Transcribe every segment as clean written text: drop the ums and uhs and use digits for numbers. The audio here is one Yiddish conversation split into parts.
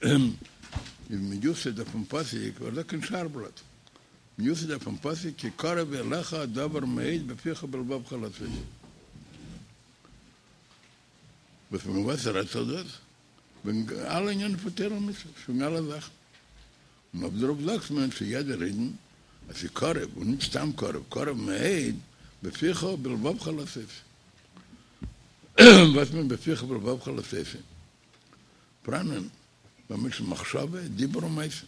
איז מיוסד אויפן פסוק, ווער זאגט אין שער בלאט? מיוסד אויפן פסוק כי קרוב אליך הדבר מאוד בפיך ובלבבך לעשותו. וואס פון וואס רעדט זיך דאס? וועגן אלע ענינים פון תורה ומצוות, וועגן אלע זאכן. און אויף דערויף זאגט מען צו יעדער אידן אז ס'איז קרוב, און נישט סתם קרוב, קרוב מאוד בפיך ובלבבך לעשותו. וואס מיינט בפיך ובלבבך לעשותו? פראנען ביי מענטשן מחשבה, דיבור ומעשה.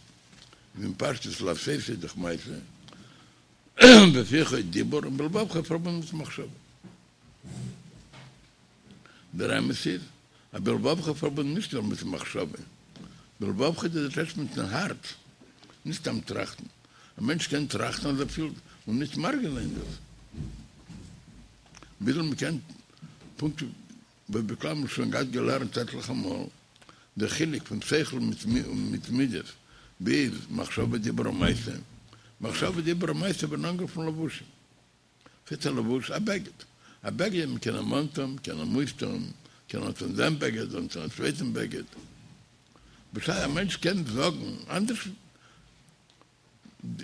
איז אין פשטות לעשותו איז דאך מעשה, בפיך איז דיבור און בלבבך איז פארבונדן מיט מחשבה. דער אמת איז אז בלבבך איז פארבונדן נישט נאר מיט מחשבה, בלבבך איז דאס הייסט מיטן הארץ, נישט סתם טראכטן. א מענטש קען טראכטן אז ער פילט און נישט מרגיש זיין דאס. וויאזוי מ'קען פונקט וואס בכלל מ'האט שוין געהאט געלערנט עטליכע מאל, דער חילוק פון שכל מיט מידות ביז מחשבה דיבור ומעשה, מחשבה דיבור ומעשה ווערן אנגערופן לבושים. וואס איז א לבוש? א בגד. א בגד מ'קען אים אנטון, מ'קען אים אויסטון, מ'קען אנטון דעם בגד, אנטון א צווייטן בגד. בשעת א מענטש קען זאגן אנדערש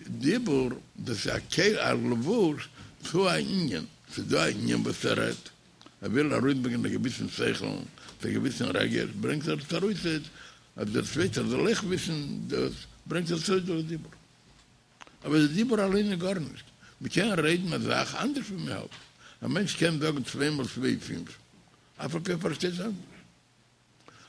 דיבור, דאס איז א כלי, א לבוש צו א ענין. ס'איז דא א ענין וואס ער רעדט, ער וויל ארויסברענגען א געוויסן שכל, צו א געוויסן רגש, ברענגט ער עס ארויס אז דער צווייטער זאל אויך וויסן דאס, ברענגט ער עס ארויס דורך דיבור. אבער די דיבור אליין איז גארנישט, מען קען רעדן א זאך אנדערש ווי מען האלט, א מענטש קען זאגן צוויי מאל צוויי איז פינף, אף על פי ער פארשטייט אנדערש.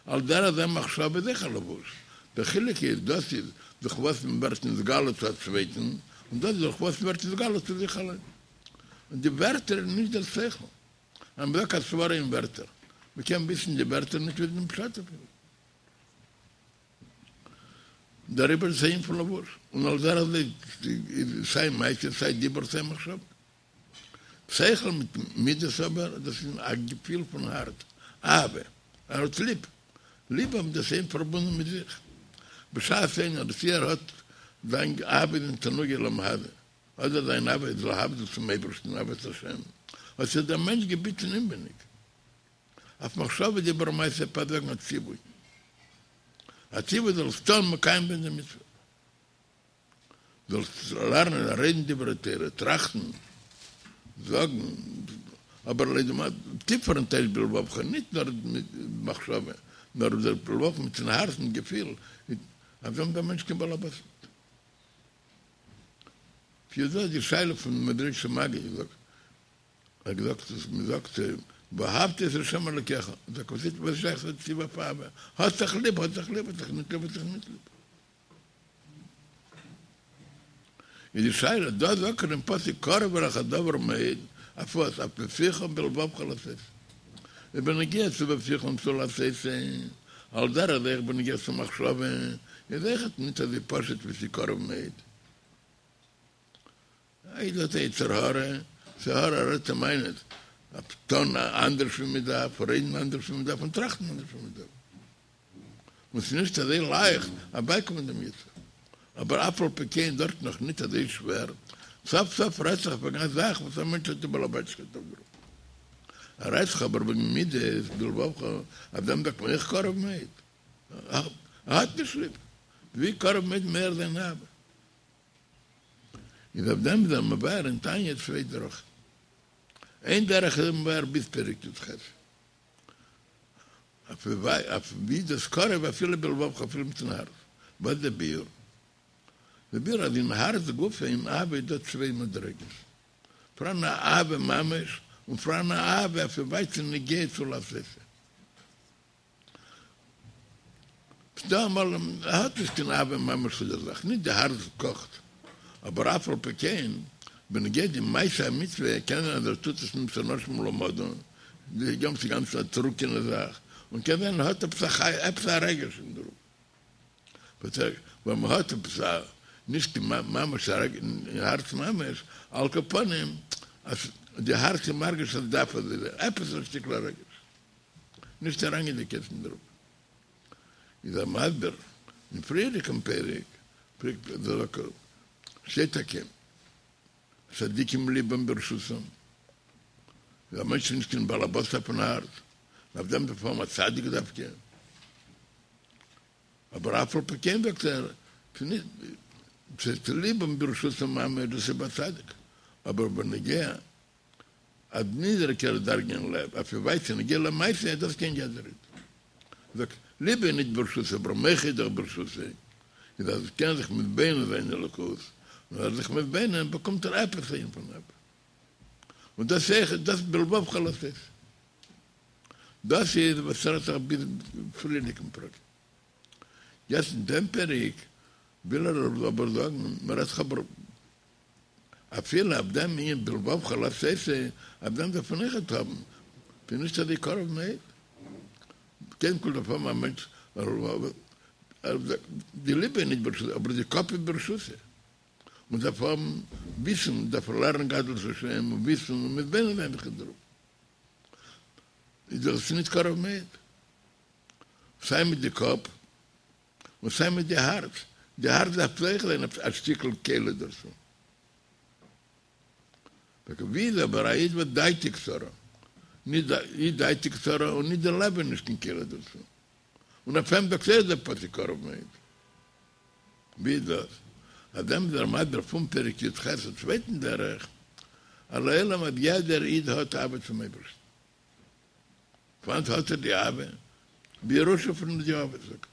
על דרך זה מחשבה איז אויך א לבוש, דער חילוק איז דאס איז דורך וואס מען ווערט נתגלה צו א צווייטן, און דאס איז דורך וואס מען ווערט נתגלה צו זיך אליין. און די ווערטער איז נישט דער שכל, אז מען זאגט א סברא אין ווערטער, מען קען וויסן די ווערטער נישט וויסן דעם פשט אפילו. דעריבער איז עס אן ענין פון לבוש, און על דרך זה איז סיי מעשה סיי דיבור סיי מחשבה. שכל מיט מידות אבער, דאס איז א געפיל פון הארץ, אהבה, ער האט ליב, ליב האבן דאס איז פארבונדן מיט זיך, בשעת איינער צי ער האט זיין אהבה איז אין תענוגי עולם הזה, אדער זיין אהבה איז להבדיל צום אייבערשטן אהבת השם, האט זיך דער מענטש געביטן אינווייניג. אויף מחשבה דיבור ומעשה דארף זאגן א ציווי, א ציווי זאלסט טון מקיים זיין די מצוה, זאלסט לערנען און רעדן דברי תורה, טראכטן, זאגן, אבער לויט דעם טיפערן טייטש בלבבך, נישט נאר מיט מחשבה, נאר דער בלבבך מיטן הארצן געפיל, אויף דעם איז דער מענטש קיין בעל הבית נישט. כידוע די שאלה פון מעזריטשער מגיד זאגט. ער האט געזאגט אז מען זאגט ואהבת את ה' אלקיך, זאגט וואס איז וואס שייך צו ציווי אויף אהבה, האסט זיך ליב האסט זיך ליב האסט זיך נישט ליב האסט זיך נישט ליב. איז די שאלה דא זאגט ער אין פסוק קרוב אליך הדבר מאוד, אויף וואס? אויף בפיך ובלבבך לעשות. איז בנוגע צו בפיך און צו לעשות, על דרך זה אויך בנוגע צו מחשבה, איז אויכעט נישט אזוי פשוט ווי ס'איז קרוב מאוד. א איד האט א יצר הרע, יצר הרע רעדט אים איין אויף טון אנדערש ווי מען דארף, רעדן אנדערש ווי מען דארף און טראכטן אנדערש ווי מען דארף. און ס'איז נישט אזוי לייכט אבייקומען דעם יצר. אבער אף על פי כן דארט נאך ניט אזוי שווער, סוף סוף רעדט זיך וועגן א זאך וואס א מענטש האט די בעל הבית'שקייט אויף דערויף. רעדט זיך אבער וועגן מידות בלבבך, אויף דעם זאגט מען אויך קרוב מאוד. ער האט נישט ליב. ווי קרוב מאוד מער זיין אהבה. איז אויף דעם איז ער מבאר אין תניא צוויי דרכים. איין דרך איז ער מבאר ביז פרק י"ח. אויף ווי דאס קרוב אפילו בלבבך אפילו מיטן הארץ. וואס איז דער ביאור? דער ביאור אז אין הארץ גופא אין אהבה איז דא צוויי מדריגות. פאראן א אהבה ממש און פאראן א אהבה אויף ווי ווייט ס'איז נוגע צו לעשות. ס'דא אמאל ער האט נישט קיין אהבה ממש צו דער זאך, נישט די הארץ קאכט, אבער אף על פי כן, בנוגע די מעשה המצוה, קען זיין אז ער טוט עס מצד אנשים מלומדה, די גאנצע גאנצע א טרוקענע זאך, און קען זיין ער האט עפעס א חי עפעס א רגש אין דערויף. ווען מ'האט עפעס א, נישט ממש א רגש אין הארץ ממש, על כל פנים אז די הארץ איז מרגיש אז דארף אזוי זיין, עפעס א שטיקל א רגש. נישט אריינגייענדיג יעצט אין דערויף. איז ער מסביר אין פריערדיגן פרק, פרק ז, שטייט טאקע צדיקים לבם ברשותם, אז א מענטש איז נישט קיין בעל הבית אויפן הארץ, אויף דעם דארף האבן א צדיק דווקא. אבער אף על פי כן זאגט ער, ס'נישט לבם ברשותו ממש, דאס איז ביי צדיק, אבער בנוגע א נידעריגערע דרגה אין לב, אויף ווי ווייט ס'איז נוגע למעשה, דאס קען יעדער איד. זאגט, ליבו איז נישט ברשותו, אבער מוחו איז דאך ברשותו, איז אז ער קען זיך מתבונן זיין אין אלוקות, און אז ער איז זיך מתבונן באקומט ער עפעס א ענין פון אהבה. און דאס אויך, דאס בלבבך לעשות. דאס איז וואס רעדט זיך ביז פריערדיגן פרק. יעצט אין דעם פרק וויל ער אבער זאגן, מען רעדט זיך אבער אפילו אויף דעם ענין בלבבך לעשות, אויף דעם דארף מען אויכעט האבן, ס'איז נישט אזוי קרוב מאוד. קודם כל דארף האבן א מענטש, די ליבע איז נישט ברשותו, אבער די קאפ איז ברשותו. מען דארף האבן וויסן, מען דארף לערנען גדלות השם און וויסן און מתבונן זיין זיך אין דערויף. איז דאך עס נישט קרוב מאוד. סיי מיט די קאפ און סיי מיט די הארץ. די הארץ דארף אויך זיין א שטיקל כלי דערצו. ווי איז אבער א איד וואס דעתו קצרה, נישט די דעתו קצרה און נישט די לב איז נישט קיין כלי דערצו. און אויף אים זאגט אויך דער פסוק קרוב מאוד. ווי איז דאס? אויף דעם איז ער מסביר פון פרק י"ח א צווייטן דרך, אז לעולם אז יעדער איד האט אהבה צום אייבערשטן. פון וואנעט האט ער די אהבה? בירושה פון די אבות זאגט ער.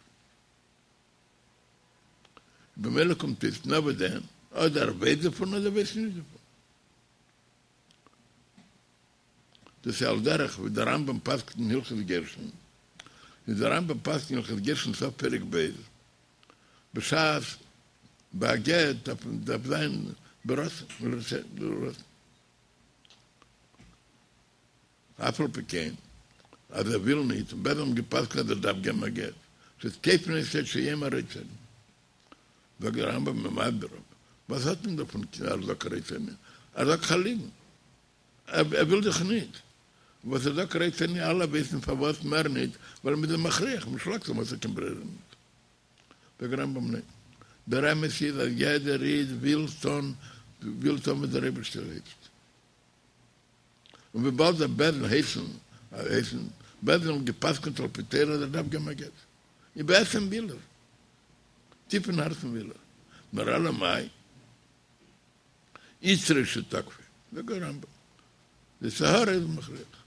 במילא קומט אויס נאר וואס דען, אדער ער ווייסט דערפון אדער ווייסט נישט דערפון. דאס איז על דרך ווי דער רמב"ם פסק'נט אין הלכות גירושין, איז דער רמב"ם פסק'נט אין הלכות גירושין סוף פרק ב', בשעת ביי א גט דארף דארף זיין ברצון, ברצון. אף על פי כן אז ער וויל ניט, און בית דין האבן געפסק'נט אז ער דארף געבן א גט, ס'איז כופין אותו עד שיאמר רוצה אני. זאגט דער רמב"ם מסביר, וואס האט מען דערפון אז ער זאגט רוצה אני? ער זאגט א ליגן. ער וויל דאך ניט. וואס ער זאגט רוצה אני, אלע ווייסן פארוואס מער ניט, ווייל מ'איז אים מכריח, מ'שלאגט אים, האט ער קיין ברירה ניט. זאגט דער רמב"ם ניין. דער אמת איז אז יעדער איד וויל טון, וויל טון וואס דער אייבערשטער הייסט. און וויבאלד דער בית דין הייסן, הייסן, בית דין האבן גע'פסק'נט על פי תורה אז ער דארף געבן א גט. איז בעצם וויל ער. טיף אין הארצן וויל ער. נאר אלא מאי? יצרו שתקפו, זאגט דער רמב"ם, די יצר הרע איז מכריח.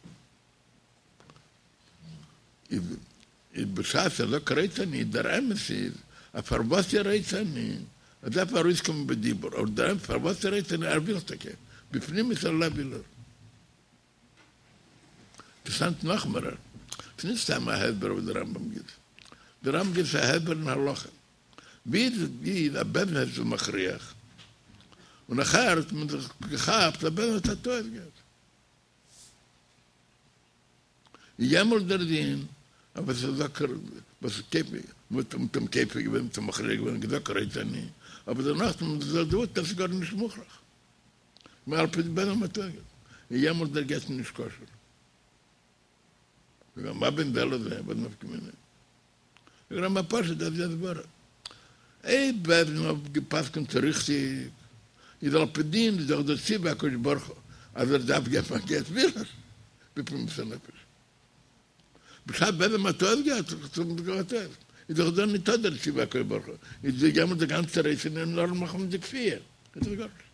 איז בשעת ער זאגט רוצה אני, דער אמת איז אז פארוואס ער רוצה אני, עס דארף ארויסקומען בדיבור, אבער דער אמת פארוואס ער רוצה אני, ער וויל טאקע, בפנימיות הלב וויל ער. אינטערעסאנט נאך מער, ס'איז נישט סתם א הסבר וואס דער רמב"ם גיבט, דער רמב"ם גיבט א הסבר אין הלכה. ווי איז ווי אז בית דין איז מכריח, און נאכהער האט מען זיך געכאפט אז בית דין האט א טעות געהאט. איז יעמאלט דער דין אז וואס איז זאגט וואס איז כופה מ'האט אים כופה געווען מ'האט אים מכריח געווען געזאגט רוצה אני, אבער דערנאך האט מען זיך דערוואוסט אז ס'איז גארנישט מוכרח, על פי דין בית דין האט א טעות געהאט, איז יעמאלט דער גט נישט כשר. מה בין זה לזה, וואס נפקא מינה? זאגט דער רמב"ם פשוט אז די הסברה. אויב בית דין האט געפסקנט ריכטיג, איז על פי דין איז דאך דער ציווי הקדוש ברוך הוא אז ער דארף געבן א גט וויל ער בפנימיות הנפש. בשעת בית דין האט טעות געהאט איז דאך דא ניטא דער ציווי הקדוש ברוך הוא, איז יעמאלט די גאנצע רוצה אני נאר מחמת די כפייה, איז דאך גארנישט.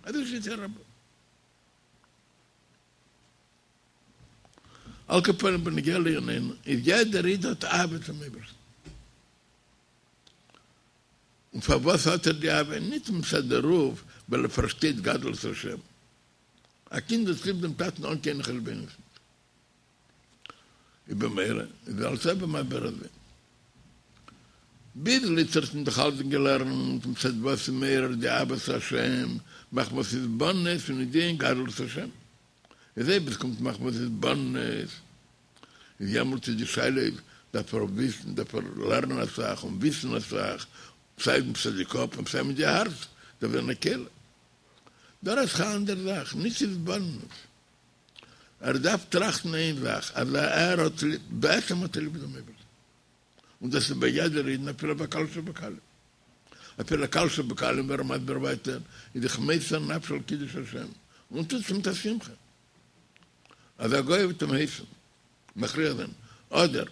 אזוי שיטת הרמב"ם. על כל פנים בנוגע לענייננו, איז יעדער איד האט אהבה צום אייבערשטן. און פארוואס האט ער די אהבה? נישט מצד דערויף ווייל ער פארשטייט גדלות השם. א קינד האט ליב דעם טאטן אן קיינע חשבונות. איז במילא איז אלץ אויב מסביר אזוי. ביז איצטערט האט מען דאך אלץ געלערנט מצד וואס איז מעורר די אהבת השם מחמת התבוננות און ידיעה אין גדלות השם. איז אויב עס קומט מחמת התבוננות איז יעמאלט איז די שאלה איז דארף ער וויסן דארף ער לערנען אסאך און וויסן אסאך סיי מצד די קאפ און סיי מיט די הארץ דארף זיין א כלי. דא רעדט זיך א אנדערע זאך נישט התבוננות. ער דארף טראכטן איין זאך אז ער האט ליב בעצם האט ער ליב דעם אייבערשטן און דאס איז ביי יעדער אידן אפילו ביי קל שבקלים אפילו קל שבקלים ווי ער איז מסביר ווייטער איז זיך מוסר נפש על קידוש השם און טוט עס מיט א שמחה אז א גוי וועט אים הייסן מכריח זיין אדער.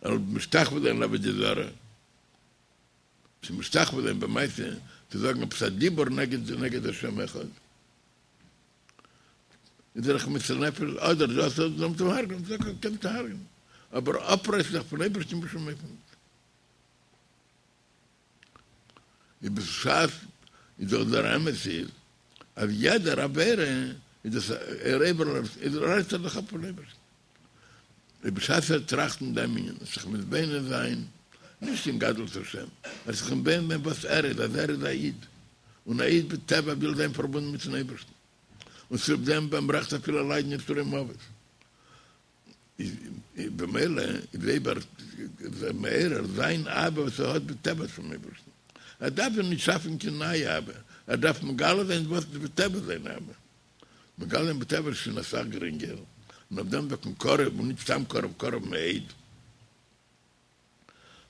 ער זאל משתחווה זיין לעבודה זרה, צו משתחווה זיין במעשה, צו זאגן עפעס א דיבור נגד נגד השם אחד, איז ער זיך מוסר נפש, אדער דאס אדער זאל מען אים הרג'נען, זאג איך קענסט הרג'נען, אבער אפרייסן זיך פון אייבערשטן בשום אופן נישט. איז בשעת איז דאך דער אמת איז אז יעדער עבירה איז דאס ער עובר איז רייסט ער זיך אפ פון אייבערשטן. איז בשעת ער טראכט אין דעם ענין זיך מתבונן זיין נישט אין גדלות השם, ער זיך מתבונן זיין וואס ער איז אז ער איז א איד, און א איד בטבע וויל זיין פארבונדן מיטן אייבערשטן, און צוליב דעם ביי אים רעכט אפילו ליידן יסורי מוות. איז במילא איז אויב ער איז מעורר זיין אהבה וואס ער האט בטבע צום אייבערשטן, ער דארף זיך נישט שאפן קיין נייע אהבה, ער דארף מגלה זיין וואס איז בטבע זיין אהבה, מגלה זיין בטבע איז שוין אסאך גרינגער, און אויף דעם זאגט מען קרוב און נישט סתם קרוב, קרוב מאוד,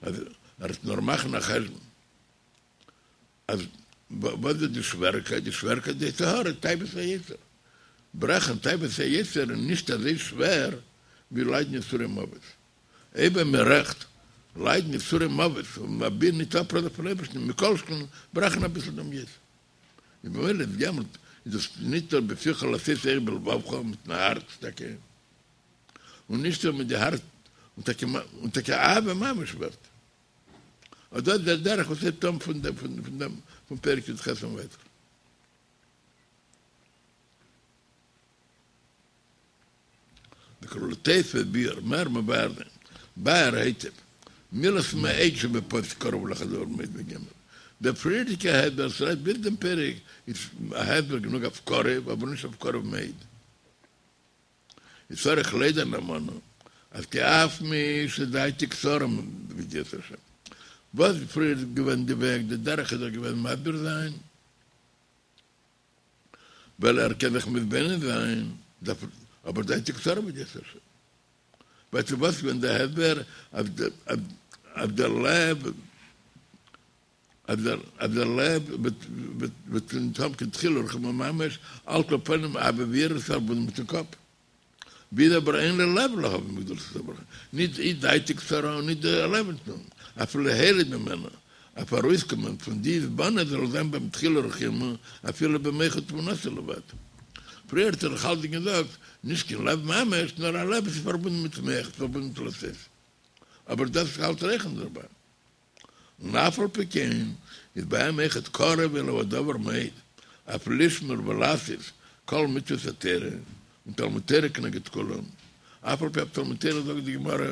אז ער וועט נאר מאכן א חשבון. אז וואס איז די שוועריקייט? די שוועריקייט איז די יצר הרע, תאוות היצר. ברעכן תאוות היצר איז נישט אזוי שווער ווי ליידן יסורי מוות. אויב מען רעכט ליידן יסורי מוות און אבי נישט אפרייסן פון אייבערשטן, מכל שכן ברעכן אביסל דעם יצר. איז במילא איז יעמאלט איז דאס נישט נאר בפיך לעשות אויך בלבבך מיטן הארץ טאקע, און נישט נאר מיט די הארץ, און טאקע אהבה ממש ווערט. אט דאס איז דער דרך וואס הייבט אן פון דעם פון דעם פון פרק י"ח און ווייטער. ולתוספת ביאור מער מבאר זיין באר היטב מילת מאוד שבפסוק קרוב אליך הדבר מאוד וגומר. דער פריערדיגע הסבר וואס רעדט ביז דעם פרק איז א הסבר גענוג אויף קרוב אבער נישט אויף קרוב מאוד. איז צריך לידע נאמנה אז כי אף מי שדעתו קצרה מידיעת השם. וואס איז פריער געווען די וועג, די דרך איז דאך געווען מסביר זיין, ווייל ער קען זיך מתבונן זיין, דארף אבער דעתו קצרה מידיעת השם. ווייסטו וואס איז געווען די הסבר אז דער לב אז דער לב וועט נישט האבן קיין דחילו ורחימו ממש, על כל פנים אהבה ויראה איז פארבונדן מיטן קאפ. ווי איז אבער אין לו לב להבין בגדולת הברכה, נישט אי דעתו קצרה און נישט דער לב נישט נאר, אפילו הוליד ממנו, אויף ארויסקומען פון די התבוננות זאל זיין ביי אים דחילו ורחימו אפילו במוחו ותבונתו לבד. פריער האט ער דאך אלץ געזאגט, נישט קיין לב ממש, נאר א לב וואס איז פארבונדן מיט מח, פארבונדן מיט לעשות. אבער דאס האלט רעכענט דערביי. און אף על פי כן איז ביי אים אויכעט קרוב אליו הדבר מאוד, אויף לשמור ולעשות כל מצוות התורה, און תלמוד תורה כנגד כולם, אף על פי אויף תלמוד תורה זאגט די גמרא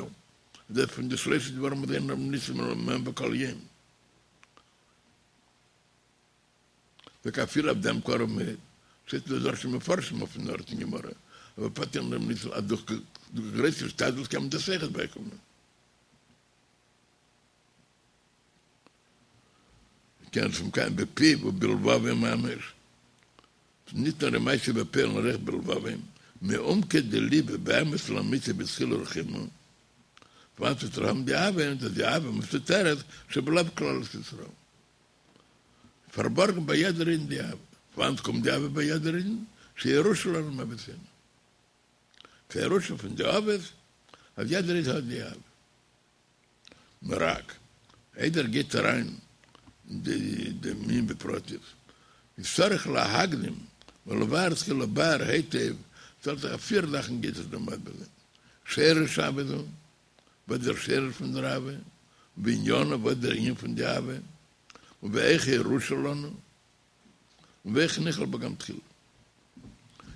אז דאס פון די שלשה דברים וואס אין אדם ניסים מהם בכל יום, זאגט אפילו אויף דעם קרוב מאוד, שטייט דא דרשו מפרשים אויפן ארט אין גמרא, אבער פארט אין אדם ניסים אז דורך גרויס השתדלות קען מען דאס אויכעט בייקומען. קען עס מקיים בפיו ובלבבו ממש, נישט נאר אין מעשה בפועל נאר אויך בלבבו, מעומקא דליבא באמת לאמיתו בדחילו ורחימו, וואנעט וועט ער האבן די אהבה, און דאס די אהבה מסותרת שבלב כללות ישראל. פארבארגן ביי יעדער אידן די אהבה. וואנעט קומט די אהבה ביי יעדער אידן? שירושה לנו מאבותינו. ס'איז ירושה פון די אבות אז יעדער איד האט די אהבה. נאר רק איידער גייט אריין אין דעם ענין בפרטיות, איז צריך להקדים ולבאר תחילה באר היטב, ס'האט זיך אויף פיר זאכן גייט עס דא מסביר זיין, שורש אהבה זו, וואס איז דער שורש פון דער אהבה, ועניינה, וואס איז דער ענין פון די אהבה, ואיך ירושה לנו, און ואיך נכלל בה גם תחילה.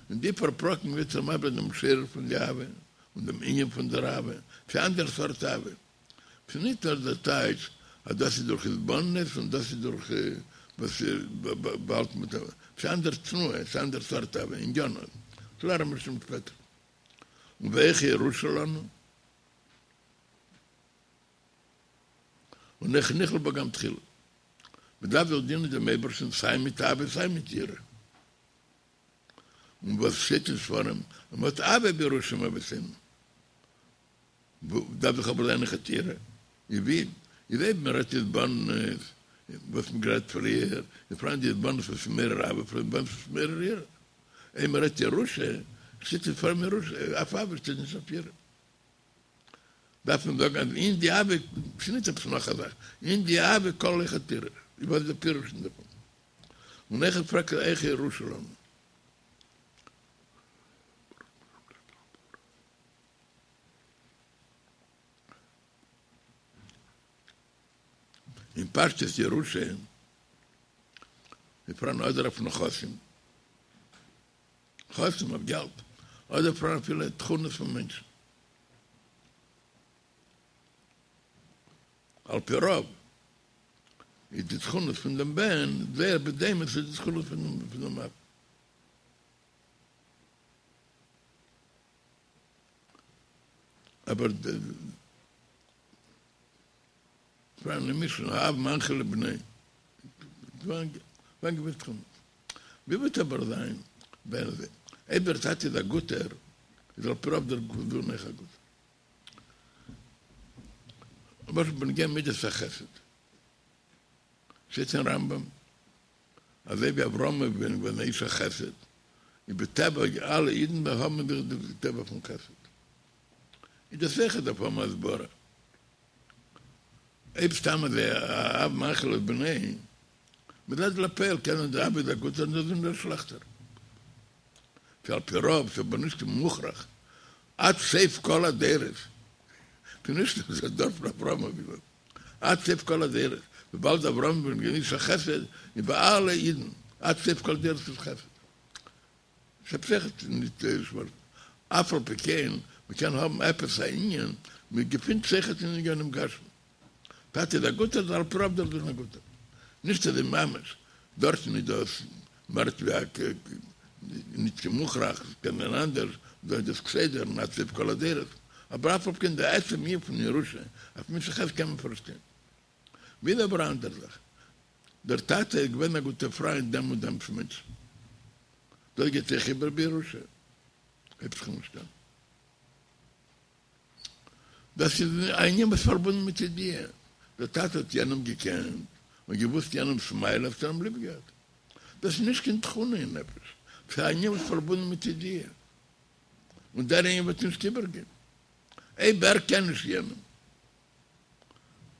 אין די פאר פרקים ווערט ער מסביר דעם שורש פון די אהבה און דעם ענין פון דער אהבה, ס'איז אנדערע סארט אהבה. ס'איז נישט נאר דער טייטש אז דאס איז דורך התבוננות און דאס איז דורך וואס באהאלטן מיט אהבה. ס'איז אנדערע תנועה, ס'איז אנדערע סארט אהבה, ענינה. דאס לערנען מיר שוין שפעטער. און ואיך ירושה לנו. און איך נכלל בה גם תחילה. מ'דארף דאך דינען דעם אייבערשטן סיי מיט אהבה סיי מיט יראה. און וואס שטייט אין ספרים אז מ'האט אהבה בירושה מאבותינו. דארף דאך אבער זיין אויכעט יראה. איז ווי איז אויב מ'רעדט התבוננות, וואס מ'האט גערעדט פריער, איז פאראן די התבוננות וואס איז מעורר אהבה, פאראן התבוננות וואס איז מעורר יראה. אויב מ'רעדט ירושה, שטייט אין ספרים ירושה, אויף אהבה שטייט נישט אויף יראה. דארף מען זאגן אז אין די אהבה, ס'איז נישט עפעס נאך א זאך, אין די אהבה כלול אויך תירוש, וואס איז די פירוש אין דערפון? און אויכעט פרעגט ער איך ירושה לנו. אין פשטות ירושה איז פאראן אדער אויף נכסים, נכסים אויף געלט, אדער פאראן אפילו תכונות פון מענטשן. על פי רוב איז די תכונות פון דעם בן זייער בדומה צו די תכונות פון דעם אב. אבער פאראן אין משנה האב מנחיל לבנו פאראן געוויסע תכונות. ווי וועט אבער זיין ווען אויב דער טאטע איז א גוטער איז על פי רוב דער זון אויך א גוטער. למשל בנוגע מידת החסד שטייט אין רמב"ם אזוי ווי אברהם אבינו איז געווען א איש החסד איז בטבע אלע אידן האבן אין זיך די טבע פון חסד איז דאס אויכעט דארף האבן הסברה אויב סתם אזוי א אב מנחיל לבנו מצד לפועל קען זיין דער אב איז א גוטער און דער זון איז א שלעכטער ס'איז על פי רוב ס'איז אבער נישט מוכרח עד סוף כל הדורות, ס'איז נישט דער דור פון אברהם אבינו, עד סוף כל הדורות, וויבאלד אברהם אבינו איז געווען איש החסד, איז ביי אלע אידן עד סוף כל הדורות איז חסד. ס'איז אויכעט נישט שווארץ. אף על פי כן, מ'קען האבן עפעס א ענין, מ'געפינט זיך אויכעט אין עניינים גשמיים. טאטע איז א גוטער, איז על פי רוב דער זון א גוטער. נישט אזוי ממש, דארטן איז דאס מער ווי א נישט קיין מוכרח, עס קען זיין אנדערש, דא איז דאס כסדר און עד סוף כל הדורות, אבער אף על פי כן די עצם ענין פון ירושה אויף מידת החסד קען מען פארשטיין. ווי איז אבער א אנדער זאך, דער טאטע איז געווען א גוטער פריינד דעם און דעם מענטשן, דאס גייט אויך איבער בירושה, הייבט זיך נישט אן. דאס איז א ענין וואס איז פארבונדן מיט ידיעה. דער טאטע האט יענעם געקענט און געוואוסט יענעמ'ס מעלות האט ער אים ליב געהאט. דאס איז נישט קיין תכונה אין נפש, ס'איז א ענין וואס איז פארבונדן מיט ידיעה. און דער ענין וועט נישט איבערגיין אויב ער קען נישט יענעם.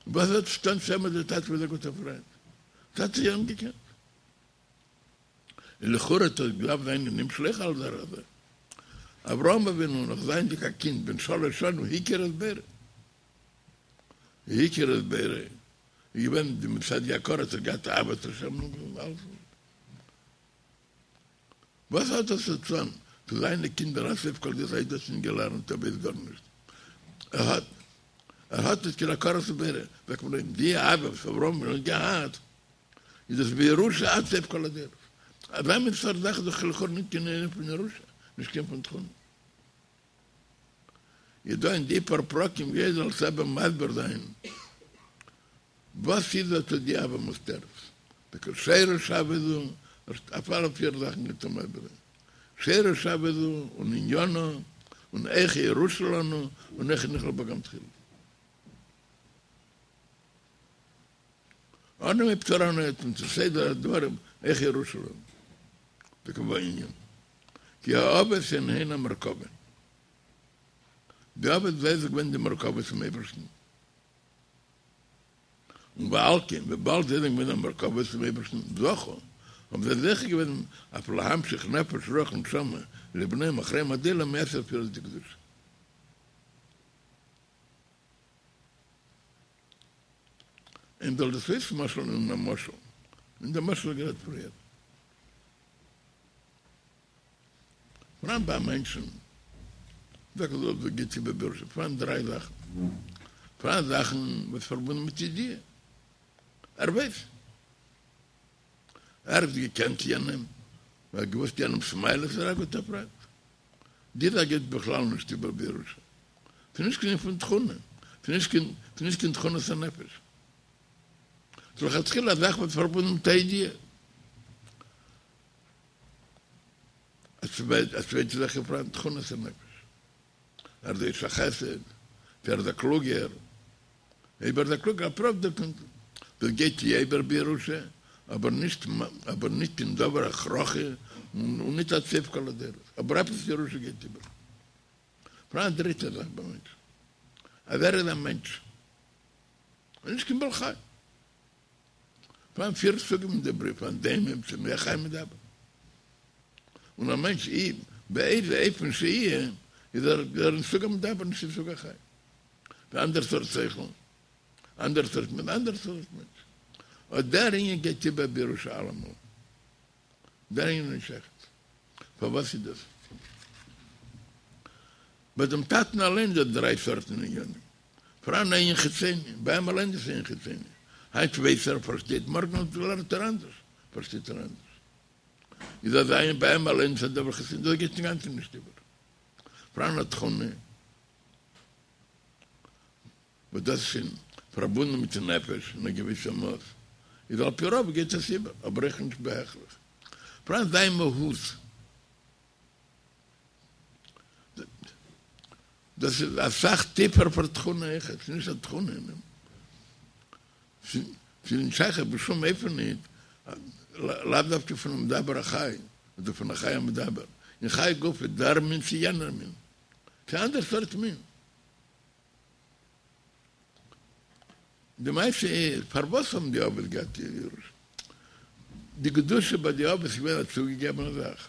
וואס האט צו טון צו אים אז דער טאטע איז א גוטער פריינט? טאטע האט יענעם געקענט. און לכאורה האט עס געדארפט זיין אין נמשל אויך על דרך זה. אברהם אבינו נאך זייענדיג א קינד בן שלש שנים הכיר את בוראו. הכיר את בוראו איז געווען די מצד די הכרה האט ער געהאט אהבת השם און אלעס. וואס האט עס צו טון צו זיינע קינדער עד סוף כל דורות האט דאס נישט געלערנט ער ווייסט גארנישט ער האט ער האט נישט קיין הכרת הבורא זאגט מען אים די אהבה וואס אברהם אבינו האט געהאט איז דאס בירושה עד סוף כל הדורות. אזא מין סארט זאך איז דאך לכאורה נישט קיין ענין פון ירושה, נישט קיין פון תכונה. איז דא אין די פאר פרקים גייט דער אלטער רבי מסביר זיין וואס איז אט די אהבה מוסתרת. טאקע שורש אהבה זו, אויף אלע פיר זאכן גייט ער מסביר זיין. שורש אהבה זו און עניינה און איך ירושה לנו און איך נכלל בה גם תחילה. אנעם הייבט ער אן און צו סדר הדברים איך ירושה לנו וכמובן ענין כי האבות הן הן המרכבה די אבות זיי זענען געווען די מרכבה צום אייבערשטן און ועל כן וויבאלד זיי זענען געווען א מרכבה צום אייבערשטן זכו האבן זיי זוכה געווען אויף להמשיך נפש רוח נשמה לבניהם אחריהם עד עולם מעשר ספירות דקדושה. און זאל דאס אויסמשל'ן אין א משל, אין דעם משל גערעדט פריער. פאראן ביי א מענטשן, זאג איך דאס גייט איבער בירושה, פאראן דריי זאכן. פאראן זאכן וואס פארבונדן מיט ידיעה. ער ווייס. ער האט געקענט יענעם, ער האט געוואוסט יענעמ'ס מעלות, ער איז א גוטער פריינט. די זאך גייט בכלל נישט איבער בירושה. ס'איז נישט קיין ענין פון תכונה, ס'איז נישט קיין, ס'איז נישט קיין תכונת הנפש. ס'איז לכתחילה א זאך וואס איז פארבונדן מיט א ידיעה. א צווייטע זאך איז פאראן תכונת הנפש. ער איז א איש החסד, צו ער איז א קלוגער. אויב ער איז א קלוגער, על פי רוב דאס גייט יא איבער בירושה, אבער נישט אבער נישט קיין דבר הכרחי און נישט עד סוף כל הדורות. אבער עפעס ירושה גייט איבער. פאראן א דריטע זאך ביי מענטשן. אז ער איז א מענטש און נישט קיין בעל חי. פארהאן פיר סוגים אין די בריאה, פארהאן דומם, צומח, חי מדבר. און א מענטש אי באיזה אופן שיהיה איז ער אין סוג המדבר נישט אין סוג החי. ס'איז אנדערע סארט שכל, אנדערע סארט מענטש, אנדערע סארט מענטש. אט דער ענין גייט איבער בירושה אלעמאל. דער ענין איז נישט שייך. פארוואס איז דאס? ביי דעם טאטן אליין איז דא דריי סארטן עניינים. פאראן א ענין חיצוני, ביי אים אליין איז עס ענין חיצוני. היינט ווייס ער, פארשטייט, מארגן לערנט ער אנדערש, פארשטייט ער אנדערש. איז אזא ענין ביי אים אליין איז א דבר חיצוני, דאס גייט אינגאנצן נישט איבער. פאראן א תכונה. וואס דאס איז שוין פארבונדן מיטן נפש אין א געוויסע מאס, איז על פי רוב גייט עס איבער, אבער אויך נישט בהכרח. פאראן זיין מהות, דאס איז אסאך טיפער פאר תכונה אויכעט, ס'איז נישט א תכונה אין אים, ס'איז נישט שייך בשום אופן נישט, לאו דווקא פונעם מדבר החי, אדער פון החי המדבר, אין חי גופא, דער מין צו יענער מין, ס'איז אנדערע סארט מין. די מעשה איז, פארוואס האבן די אבות געהאט ירושה? די קדושה ביי די אבות איז געווען א צוגעגעבענע זאך.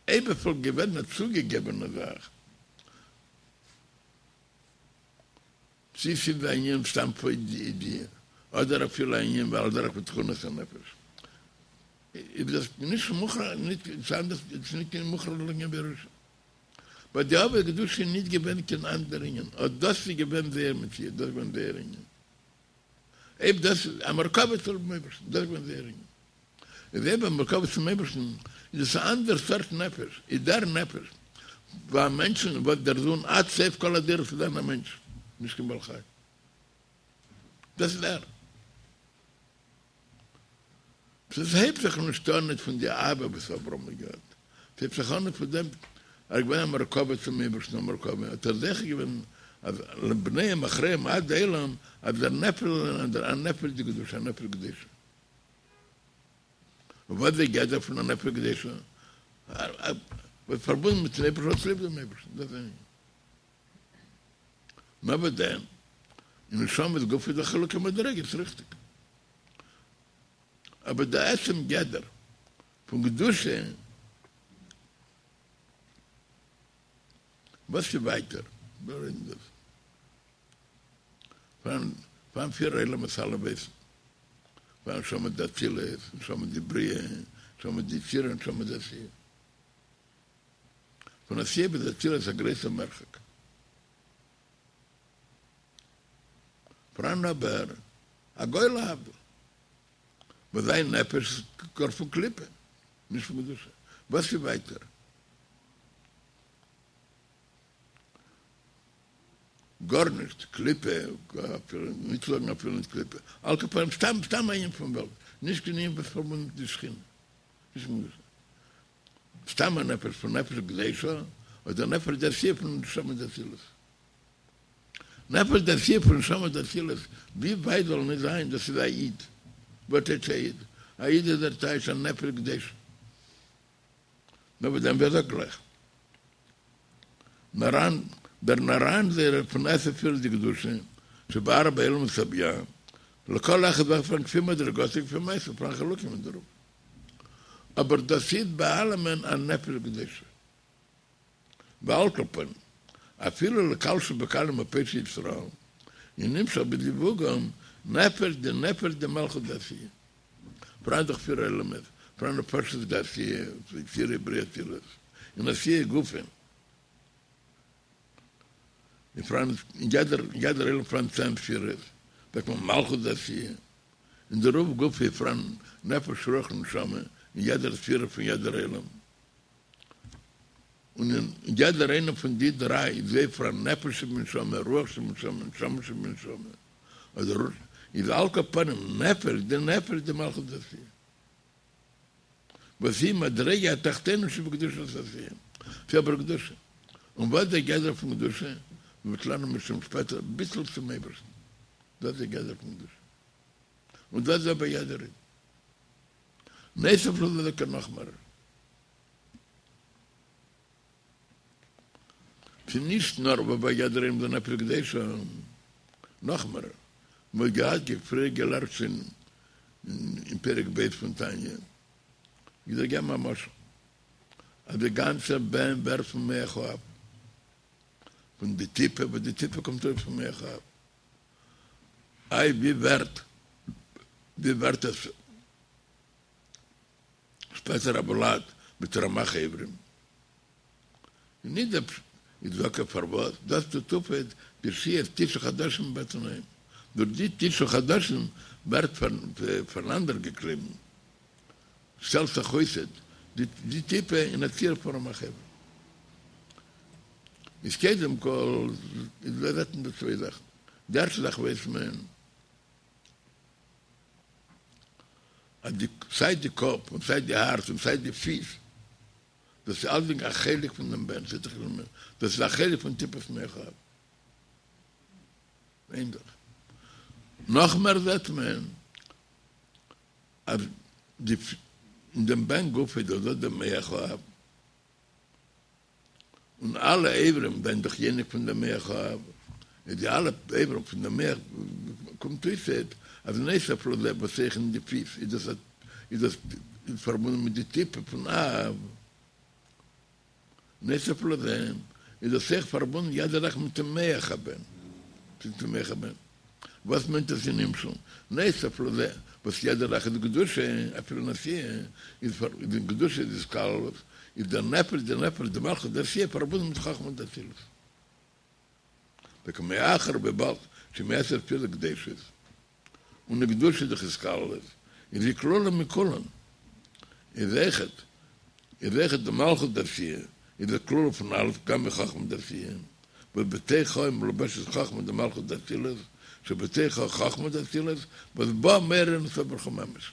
אויב עס וואלט געווען א צוגעגעבענע זאך, צי ס'איז א ענין סתם פון ידיעה, אדער אפילו א ענין ועל דרך בתכונת הנפש, איז דאס נישט מוכרח, ס'איז נישט קיין מוכרח לענין בירושה. ביי די אבות קדושה איז נישט געווען קיין אנדער ענין, אט דאס איז געווען זייער מציאות, דאס איז געווען זייער ענין. אויב דאס איז א מרכבה צום אייבערשטן, דאס איז געווען זייער ענין. איז אויב א מרכבה צום אייבערשטן, איז עס א אנדער סארט נפש, איז דער נפש ביי א מענטשן וואס דער זון עד סוף כל הדורות איז זיין א מענטש, נישט קיין בעל חי. דאס איז ער. ס'הייבט זיך נישט אן ניט פון די אהבה וואס אברהם האט געהאט, ס'הייבט זיך אן פון דעם ער איז געווען א מרכבה צום אייבערשטן א מרכבה האט ער זוכה געווען אז לבניהם אחריהם עד עולם אז דער נפש זאל זיין א נפש דקדושה א נפש קדושה. און וואס איז די גדר פון א נפש קדושה? וואס פארבונדן מיטן אייבערשטן האט ליב דעם אייבערשטן דאס איז ענין. נאר וואס דען? אין נשמות גופא איז דא חילוקי מדריגות, ריכטיג. אבער די עצם גדר פון קדושה, וואס איז ווייטער? ווער איז דאס? פארהאן פיר עולמות אלע ווייסן, פארהאן נשמה דאצילות, נשמה דבריאה, נשמה דיצירה, נשמה דעשיה. פון עשיה ביז אצילות איז א גרויסער מרחק. פאראן אבער א גוי להבדיל וואס זיין נפש איז גאר פון קליפה, נישט פון קדושה. וואס איז ווייטער? גארנישט, קליפה, אפילו נישט זאגן אפילו נישט קליפה, על כל פנים סתם סתם א ענין פון וועלט, נישט קיין ענין וואס פארבונדן מיט די שכינה, נישט מיט קדושה. סתם א נפש פון נפש קדושה, אדער נפש דעשיה פון נשמה דאצילות. נפש דעשיה פון נשמה דאצילות, ווי ווייט זאל נישט זיין, דאס איז א איד. וואס טייטש א איד? א איד איז דער טייטש א נפש קדושה. נאר וואס דען ווער זאגט גלייך? נאראן, דער נאראן זייערער פון עשר ספירות דקדושה, שבארבע עולמות הבי"ע, לכל אחד ואחד פאראן כפי מדרגתו כפי מעשיו, פאראן חילוקים אין דערויף. אבער דאס איז ביי אלעמען א נפש קדושה. ועל כל פנים, אפילו לקל שבקלים ופושעי ישראל, איז נמשך בזיווגם נפש דנפש דמלכות דעשיה. פאראן דאך פיר עולמות, פאראן נפשות דעשיה, יצירה בריאה אצילות, אין עשיה גופא, און פאראן אין יעדער יעדער עולם פאראן צען ספירות, זאגט מען מלכות דעשיה, אין דערויף גופא איז פאראן נפש רוח נשמה אין יעדער ספירה פון יעדער עולם. און אין יעדער איינער פון די דריי איז אויך פאראן נפש שבנשמה, רוח שבנשמה, נשמה שבנשמה, אדער איז על כל פנים נפש דנפש דמלכות דעשיה, וואס היא מדרגה התחתונה שבקדושת עשיה, ס'איז אבער קדושה. און וואס איז דער גדר פון קדושה? מ'וועט לערנען אם ירצה השם שפעטער, ביטול צום אייבערשטן, דאס איז דער גדר פון קדושה. און דאס איז אבער יעדער איד. נוסף לזה זאגט ער נאך מער. ס'איז נישט נאר וואס ביי יעדער איינעם איז א נפש קדושה. נאכמער, מ'האט געהאט פריער געלערנט שוין אין פרק ב' פון תניא, איך זאל געבן א משל, אז די גאנצע בן ווערט פון מח האב, פון די טיפה וואס די טיפה קומט ארויס פון מח האב, איי ווי ווערט ווי ווערט עס שפעטער א ולד מיט רמח איברים? נישט דער פשט איז דוקא פארוואס דאס טוט אויף די שהיית תשעה חדשים בבטן האם, דורך די תשעה חדשים ווערט פארנאנדערגעקליבן, שטעלט זיך אויס די טיפה אין א ציור פון רמח איברים. איז קודם כל איז דא זעט מען דא צוויי זאכן, די ערשטע זאך ווייסט מען אז די סיי די קאפ און סיי די הארץ און סיי די פיס דאס איז אלסדינג א חלק פון דעם בן, דאס איז א חלק פון טיפת מח האב. איין זאך. נאך מער זעט מען אז די אין דעם בן גופא איז דאך דא דער מח האב, און אלע איברים זענען דאך יונק פון דעם מח האב, איז די אלע איברים פון דעם מח קומט אויס אז נוסף לזה וואס אויך אין די פיס איז דאס איז דאס פארבונדן מיט די טיפה פון אב, נוסף לזה איז דאס אויך פארבונדן יעדע זאך מיט דעם מח הבן, מיט דעם מח הבן. וואס מיינט דאס אין נמשל? נוסף לזה וואס יעדע זאך איז קדושה, אפילו אין עשיה, איז פאר איז קדושה איז התכללות, איז דער נפש דער נפש דמלכות דעשיה פארבונדן מיט חכמה דאצילות. וכמאחר וויבאלד שמעשר ספירות קדושות, און די קדושה איז דאך התכללות, איז זי כלולה מכולן, איז אויכעט איז אויכעט די מלכות דעשיה, איז די כלולה פון אלעס גם מחכמה דעשיה, וואס בתוכה מלובשת חכמה דמלכות דאצילות, שבתוכה חכמה דאצילות, וואס בה מאיר אין סוף ברוך הוא ממש.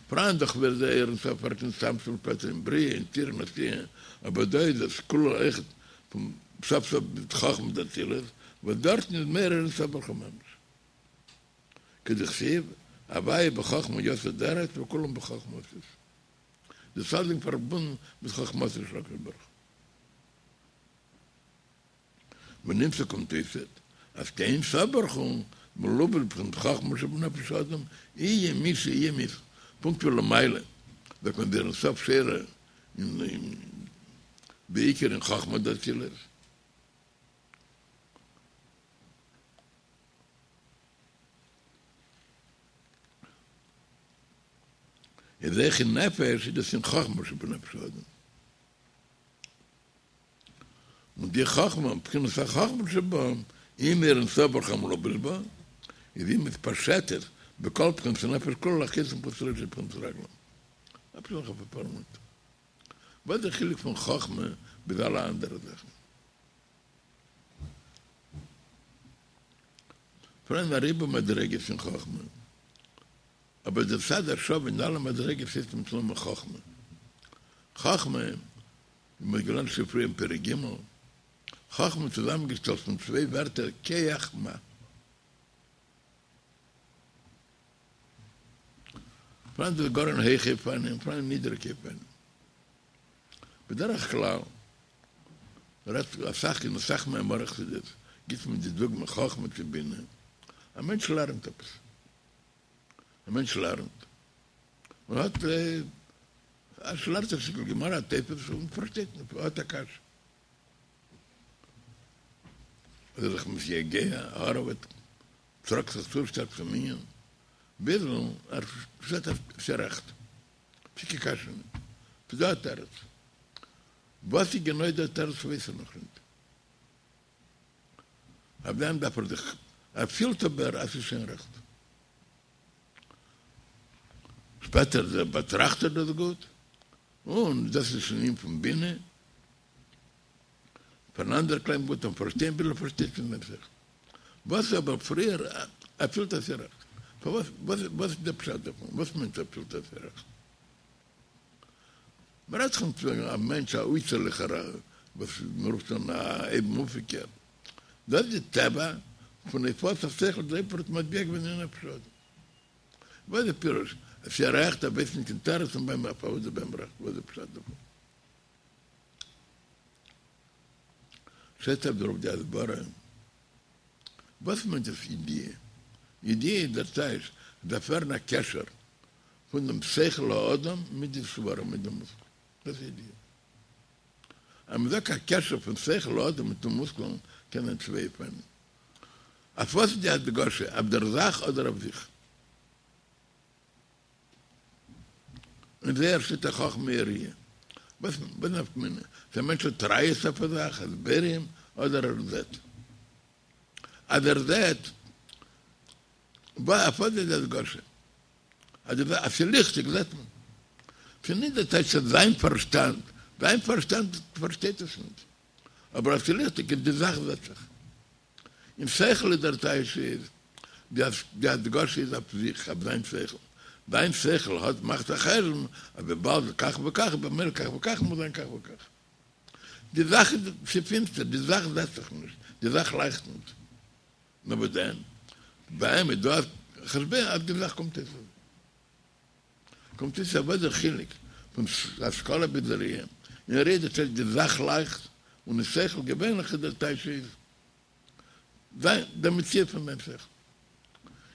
פאראן דאך ווי אזוי אור אין סוף ווערט נתצמצם שפעטער אין בריאה אין יצירה אין עשיה, אבער דא איז עס כלול אויכעט פון סוף סוף מיט חכמה דאצילות, וואס דארטן איז מאיר אין סוף ברוך הוא ממש. כדכתיב, הוי' בחכמה יסד ארץ וכולם בחכמה עשית. דאס אלסדינג פארבונדן מיט חכמתו של הקדוש ברוך הוא. ונמצא קומט אויסעט אז כי אין סוף ברוך הוא מלובש בבחינת חכמה שבנפש האדם יהיה מי שיהיה מי פונקט ווי למעלה זאגט מען דער אין סוף שורה אין בעיקר אין חכמה דאצילות. איז אויך אין נפש איז דאס אין חכמה שבנפש האדם. און די חכמה, בחינת החכמה שבה, היא מאור אין סוף ברוך הוא המלובש בה, איז היא מתפשטת בכל בחינת הנפש כולה להחיות מחוץ לראשו בבחינת רגלים. אפשר נאך אפאר מינוט. וואס איז די חילוק פון חכמה ביז אלע אנדערע זאכן? פאראן א ריבוי מדריגות אין חכמה, אבער דער צד השווה אין אלע מדריגות הייסט מיטן נאמען חכמה. חכמה, ווי מ'האט געלערנט שוין פריער אין פרק ג', חכמה איז צוזאמענגעשטעלט פון צוויי ווערטער כח מה. פאראן דאס גאר אין הויכע אופנים, פאראן אין נידעריגע אופנים. בדרך כלל רעדט אסאך אין אסאך מאמרי חסידות גיבט מען די דוגמא חכמה צו בינה, א מענטש לערנט עפעס, א מענטש לערנט און האט ער לערנט א שטיקל גמרא א תוספות און פארשטייט נישט, האט א קשיא, איז ער זיך מתייגע, הארעוועט, טראגט זיך צו שטארק צום ענין, ביז ער זעט אז ס'איז רעכט. ס'איז קיין קשיא ניט. ס'איז דא א תירוץ. וואס איז גענוי דער תירוץ ווייס ער נאך ניט. אויף דעם דארף ער זיך, ער פילט אבער אז ס'איז שוין רעכט. שפעטער באטראכט ער דאס גוט, און דאס איז שוין ענין פון בינה. פאנאנדערקלייבן גוט און פארשטיין ביז ער פארשטייט פון זיין שכל. וואס איז אבער פריער ער פילט אז ס'איז רעכט? פארוואס וואס וואס איז דער פשט דערפון? וואס מיינט ער פילט אז ס'איז רעכט? מ'רעדט זיך נישט וועגן א מענטש א אויסערליכער וואס מ'רופט אן א אויבנאויפיגער. דאס איז די טבע פון הופעת השכל דער אייבערשטער האט מטביע געווען אין נפש האדם. וואס איז די פירוש? אז ס'איז רעכט ער ווייסט נישט קיין תירוץ און ביים פארוואס איז ביי אים רעכט? וואס איז די פשט דערפון? שטייט אויף דערויף די הסברה. וואס מיינט עס ידיעה? ידיעה איז דער טייטש, דארף ווערן א קשר פון דעם שכל האדם מיט די סברה, מיט דעם מושכל. דאס איז ידיעה. אז מען זאגט א קשר פון שכל האדם מיטן מושכל קען זיין צוויי אופנים. אויף וואס איז די הדגשה, אויף דער זאך אדער אויף זיך? אין זוהר שטייט חכמה היא ראיה. וואס נפקא מינה? צו א מענטש האט ראיות אויף א זאך, הסברים, אדער ער זעט. אז ער זעט, אויף וואס איז די הדגשה? אז ס'איז ליכטיג זעט מען. ס'איז נישט די טייטש אז זיין פארשטאנד, זיין פארשטאנד פארשטייט עס נישט. אבער אז ס'איז ליכטיג איז די זאך זעט זיך. אין שכל איז דער טייטש איז די הדגשה איז אויף זיך, אויף זיין שכל. זיין שכל האט מאכט א חשבון אז וויבאלד כך וכך במילא כך וכך מוז זיין כך וכך. די זאך איז ס'פינסטער, די זאך זעט זיך נישט, די זאך לייכט נישט. נאר וואס דען? ביי אים איז דא א חשבון אז די זאך קומט אויס אזוי. קומט אויס אז וואס דער חילוק פון השכלה ביז ראי'? אין ראי' דער טייטש די זאך לייכט, און אין שכל געווענליך איז דער טייטש איז זיין דער מציאות פון זיין שכל.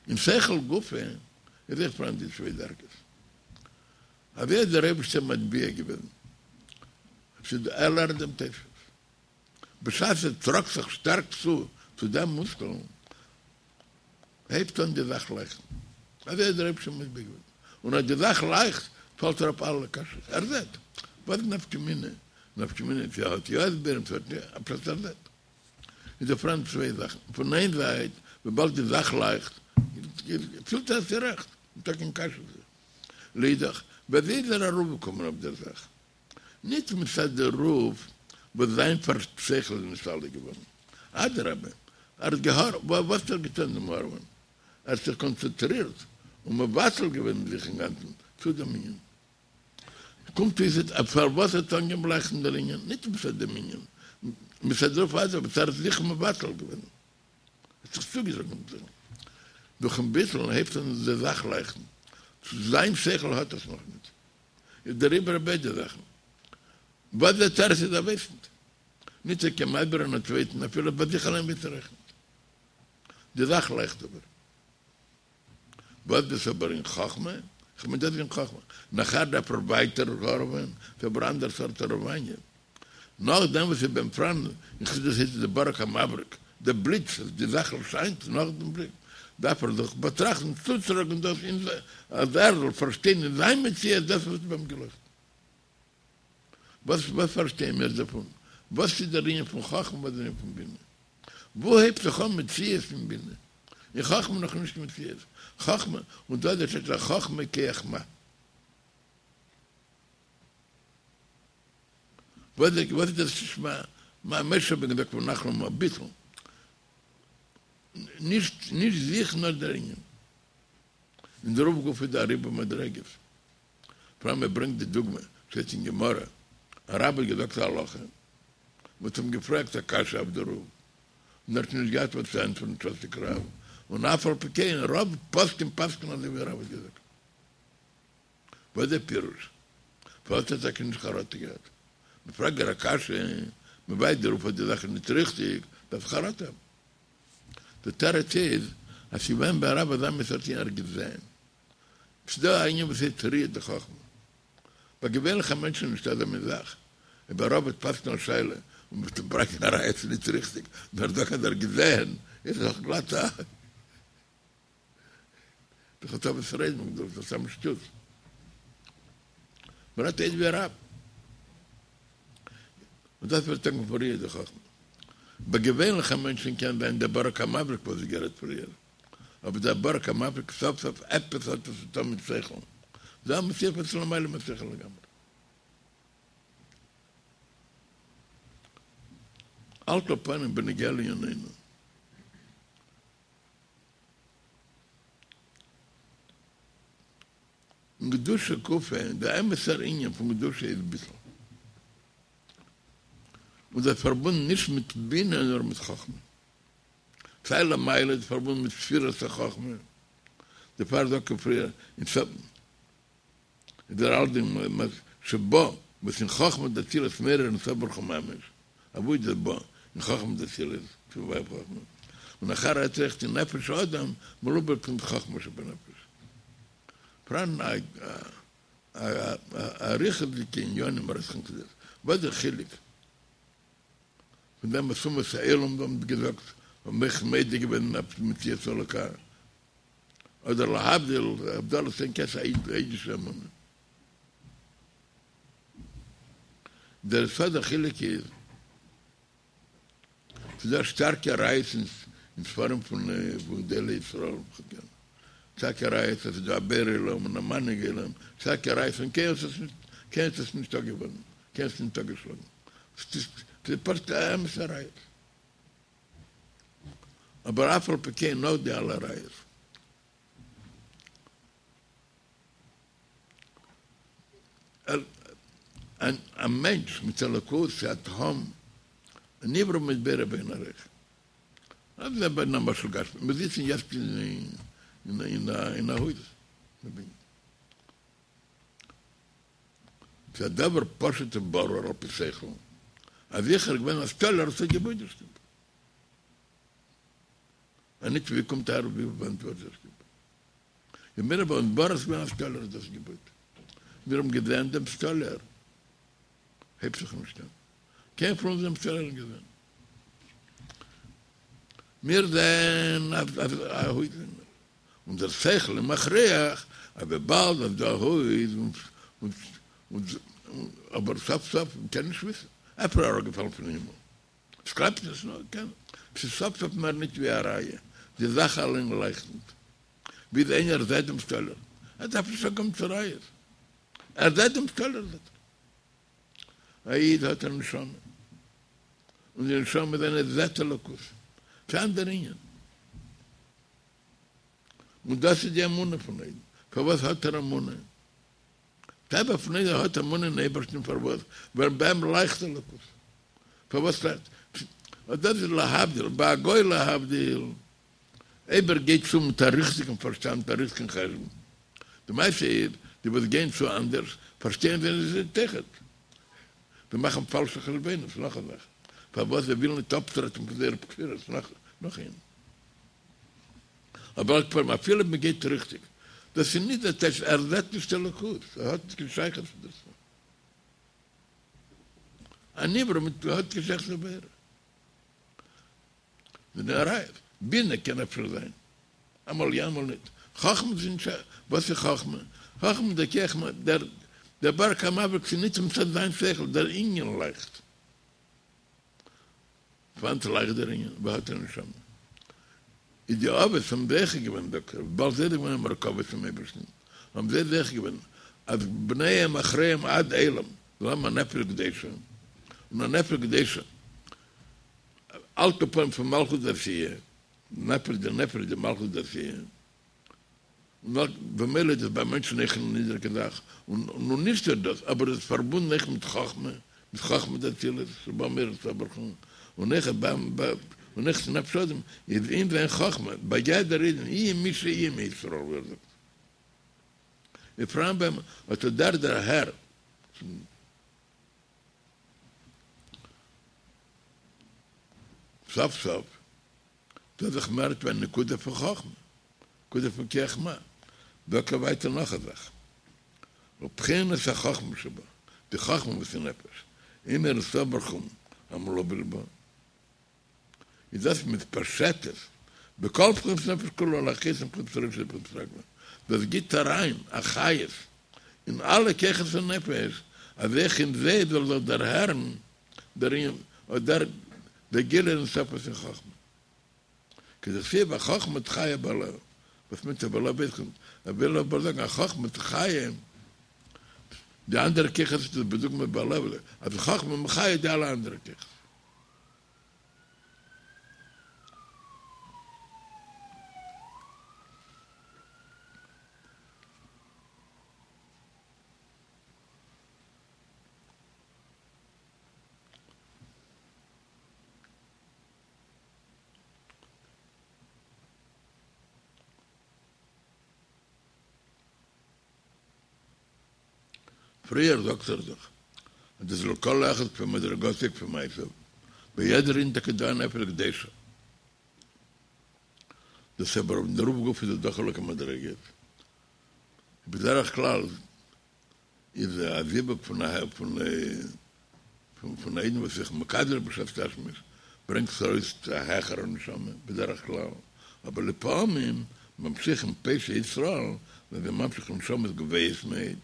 אין שכל גופא איז אויך פארהאן די צוויי דרגות. אזוי האט דער אייבערשטער מטביע געווען אז ער לערנט דעם תוספות. בשעת ער טראגט זיך שטארק צו צו דעם מושכל, הייבט אן די זאך לייכטן. אזוי האט דער אייבערשטער מטביע געווען. און אז די זאך לייכט, פאלט אראפ אלע קשיות. ער זעט. וואס איז נפקא מינה? נפקא מינה צו ער האט יא הסברים צו ער האט נישט, פשט ער זעט. איז דא פאראן צוויי זאכן. פון איין זייט, וויבאלד די זאך לייכט, פילט ער אז ס'איז רעכט, ניטא קיין קשיא אויף זיך. לאידך, ווי אזוי איז ער ארויפגעקומען אויף דער זאך? ניט מצד דערויף וואס זיין שכל איז נתעלה געווארן, אדרבה, ער האט געהאר וואס האט ער געטאן דעם הארעווען? ער האט זיך קאנצענטרירט און מבטל געווען זיך אינגאנצן צו דעם ענין. קומט אויס אז פארוואס האט אנגעהויבן לייכטן דער ענין? ניט מצד דעם ענין, מצד דערויף אדרבה, וואס ער האט זיך מבטל געווען, האט זיך צוגעזאגט מיט זיך. דורכן ביטול הייבט אן די זאך לייכטן, זיין שכל האט עס נאכניט. איז דעריבער ביידע זאכן. וואס דער תירוץ איז ער ווייסט ניט. ניט ער קען מסביר זיין א צווייטן אפילו ביי זיך אליין ווייסט ער אויך ניט. די זאך לייכט אבער. וואס דאס אבער אין חכמה? כ'מיין דאס איז אין חכמה. נאכער דארף ער ווייטער הארעווען, ס'איז אבער אנדער סארט הארעוואניע. נאכדעם וואס איז ביי אים פאראן אין חסידות הייסט עס די ברק המבריק, די בליץ אז די זאך ערשיינט נאך דעם בליץ, דארף ער זיך באטראכטן צוטראגן דאס אין זיך אז ער זאל פארשטיין אין זיין מציאות דאס וואס איז ביי אים געלויכטן. וואס וואס פארשטייען מיר דערפון? וואס איז דער ענין פון חכמה וואס איז דער ענין פון בינה? וואו הייבט זיך אן מציאות אין בינה? אין חכמה נאך נישט מציאות. חכמה, און דא איז דער חכמה כח מה. וואס איז דאס שמע? מה משה רבינו געזאגט ונחנו מה ביטול. נישט נישט זיך נאר דער ענין. אין דערויף גופא איז דא א ריבוי מדריגות. פאראן מען ברענגט די דוגמא, שטייט אין גמרא, א רב האט געזאגט א הלכה, מען האט אים געפרעגט א קשיא אויף דערויף, און ער האט נישט געהאט וואס צו ענטפערן שתק רב, און אף על פי כן רוב פוסקים פסק'נען אזוי ווי רב האט געזאגט. וואס איז דער פירוש? פארוואס האט ער טאקע נישט חרטה געהאט? מען פרעגט דיר א קשיא, מען ווייזט דיר אויף אז די זאך איז נישט ריכטיג, דארף חרטה האבן. די תירוץ איז אז ס'איז געווען ביי רב אזא מין סארט ענין ער האט געזען. ס'איז דא א ענין וואס הייסט ראיה דחכמה. ביי געווענליכע מענטשן איז נישטא אזא מין זאך. אויב א רב וועט פסק'נען א שאלה און מ'וועט אים ברענגען א ראיה ס'איז נישט ריכטיג, נאר ער זאגט אז ער האט געזען, איז דאך גלאט א. דאך האט אבער ס'רעדן דאס איז סתם שטות. מ'רעדט איז ווי א רב. און דאס ווערט אנגערופן ראיה דחכמה. ביי געווענליכע מענטשן קען זיין דער ברק המבריק וואס איז גערעדט פריער. אבער דער ברק המבריק סוף סוף עפעס האט עס צו טון מיט שכל. דא א מציאות וואס איז למעלה משכל לגמרי. על כל פנים בנוגע לענינינו. אין קדושה גופא, דער אמת'ער ענין פון קדושה איז ביטול. און דאס איז פארבונדן נישט מיט בינה נאר מיט חכמה. סיי למעלה איז פארבונדן מיט ספירת החכמה, דערפאר זאגט ער פריער אין סוף איז דער אלדינג שבא וואס אין חכמה דאצילות מאיר אין סוף ברוך הוא ממש, אוואו איז דאס בא אין חכמה דאצילות פון ווייב חכמה? און נאכער רעדט זיך אין נפש האדם מלובש בבחינת חכמה שבנפש. פאראן א אריכות'דיגע עניינים רעדט זיך אין חסידות. וואס דער חילוק פון דעם וואס אומות העולם האבן געזאגט האבן אויך מודה געווען אויף מציאות אלוקה, אדער להבדיל הבדלות אין כסא א אידישע אמונה. דער יסוד החילוק איז, ס'איז דא שטארקע ראיות אין ספרים פון גדולי ישראל וכדומה, שטארקע ראיות אז ס'איז דא א בורא עולם און א מנהיג עולם, שטארקע ראיות און קיינער האט עס נישט אפגעוואנדן, קיינער האט עס נישט אפגעשלאגן, ס'איז פשוט אמת'ע ראיות. אבער אף על פי כן נאך די אלע ראיות. א מענטש מיט אלוקות איז א תהום, א נברא מיט בורא באין ערוך. אז זיי ביידן א משל גשמי, מיר זיצן יעצט אין א הויז, ס'איז א דבר פשוט וברור על פי שכל, אז זיכער איז געווען א סטאלער וואס האט געבויט די שטוב. אז נישט ווי קומט אהער ווי וואנעט ווערט דאס געבויט? און מיר האבן ברור ס'געווען א סטאלער האט דאס געבויט. מיר האבן געזען דעם סטאלער. הייבט זיך נישט אן. קיינער פון אונז דעם סטאלער נישט געזען. מיר זעען א הויז און דער שכל איז מכריח אז וויבאלד אז דא א הויז און אבער סוף סוף מ'קען נישט וויסן. אפשר אראפגעפאלן פון הימל. ס'קלאפט נישט נאר קען. ס'איז סוף סוף מער נישט ווי א ראיה. די זאך אליין לייכט נישט. ווי איז איינער זעט דעם סטאלער. ער דארף נישט אנקומען צו ראיות. ער זעט דעם סטאלער זעט ער. א איד האט א נשמה. און די נשמה זיינע זעט אלוקות. ס'איז אן אנדער ענין. און דאס איז די אמונה פון א אידן. פארוואס האט ער אמונה? טבע פון איד ער האט אמונה אין אייבערשטן פארוואס? ווייל ביי אים לייכט אלוקות. פארוואס לייכט? אט דאס איז להבדיל, ביי א גוי להבדיל, אויב ער גייט צו מיט א ריכטיגן פארשטאנד, מיט א ריכטיגן חשבון. די מעשה איז, די וואס גייען צו אנדערש, פארשטייען זיי נישט אויכעט. זיי מאכן פאלשע חשבונות, נאך א זאך. פארוואס זיי ווילן נישט אפטרעטן פון זייערע כפירות, נאך איינס. אבער על כל פנים אפילו מען גייט ריכטיג, דאס איז נישט דער טייטש ער זעט נישט אלוקות, ער האט נישט קיין שייכות צו דערצו. א נברא מיט האט קיין שייכות צו בורא. מיט די ראיות, בינה קען אפשר זיין, אמאל יא אמאל נישט. חכמה איז נישט שייך, וואס איז חכמה? חכמה איז דער כח דער דער ברק המבריק ס'איז נישט מצד זיין שכל, דער ענין לייכט. וואנעט לייכט דער ענין האט א נשמה. איז די אבות האבן זוכה געווען זאגט ער, וויבאלד זיי זענען געווען א מרכבה צום אייבערשטן, האבן זיי זוכה געווען אז בניהם אחריהם עד עולם זאל האבן א נפש קדושה, און א נפש קדושה על כל פנים פון מלכות דעשיה, נפש דנפש דמלכות דעשיה. און במילא איז דאס ביי מענטשן אויך א נידריגע זאך, און נישט נאר דאס, אבער עס איז פארבונדן אויך מיט חכמה, מיט חכמה דאצילות, שבה מאיר אין סוף ברוך הוא, און אויך און אויך נפש האדם איז אין זיין חכמה, ביי יעדער אידן, יהיה מי שיהיה מישראל ווי ער זאגט. איז פאראן ביי אים אט דער דערהער. סוף סוף דאס איז מער ווי א נקודה פון חכמה, נקודה פון כח מה. זאגט ער ווייטער נאך א זאך, ובחינת החכמה שבה, די חכמה וואס אין נפש, עם אור אין סוף ברוך הוא המלובש בה, איז דאס מתפשטת בכל בחינות נפש כולה להחיות מבחינת רישא דבחינת רגלא, דאס גיט אריין א חיות אין אלע כוחות הנפש, אז אויך אין זיי זאל זיך דערהערן דער ענין אדער דער גילוי אין סוף פון חכמה. כדכתיב החכמה תחיה בעליה, וואס מיינט בעליה ווייס איך נישט, ער וויל אבער זאגן החכמה תחיה די אנדערע כוחות איז בדוגמא בעליה, אז חכמה מחיה די אלע אנדערע כוחות. פריער זאגט ער דאך אז דאס איז לכל אחד כפי מדרגתו כפי מעשיו, ביי יעדער אידן טאקע דא א נפש קדושה. דאס אבער אויף דערויף גופא איז דא חילוקי מדריגות. בדרך כלל איז א זיווג פון א פון פון א אידן וואס איז זיך מקדש בשעת תשמיש ברענגט עס ארויס צו א העכערע נשמה בדרך כלל, אבער לפעמים ממשיכים פושעי ישראל זענען זיי ממשיך נשמות גבוהות מאוד.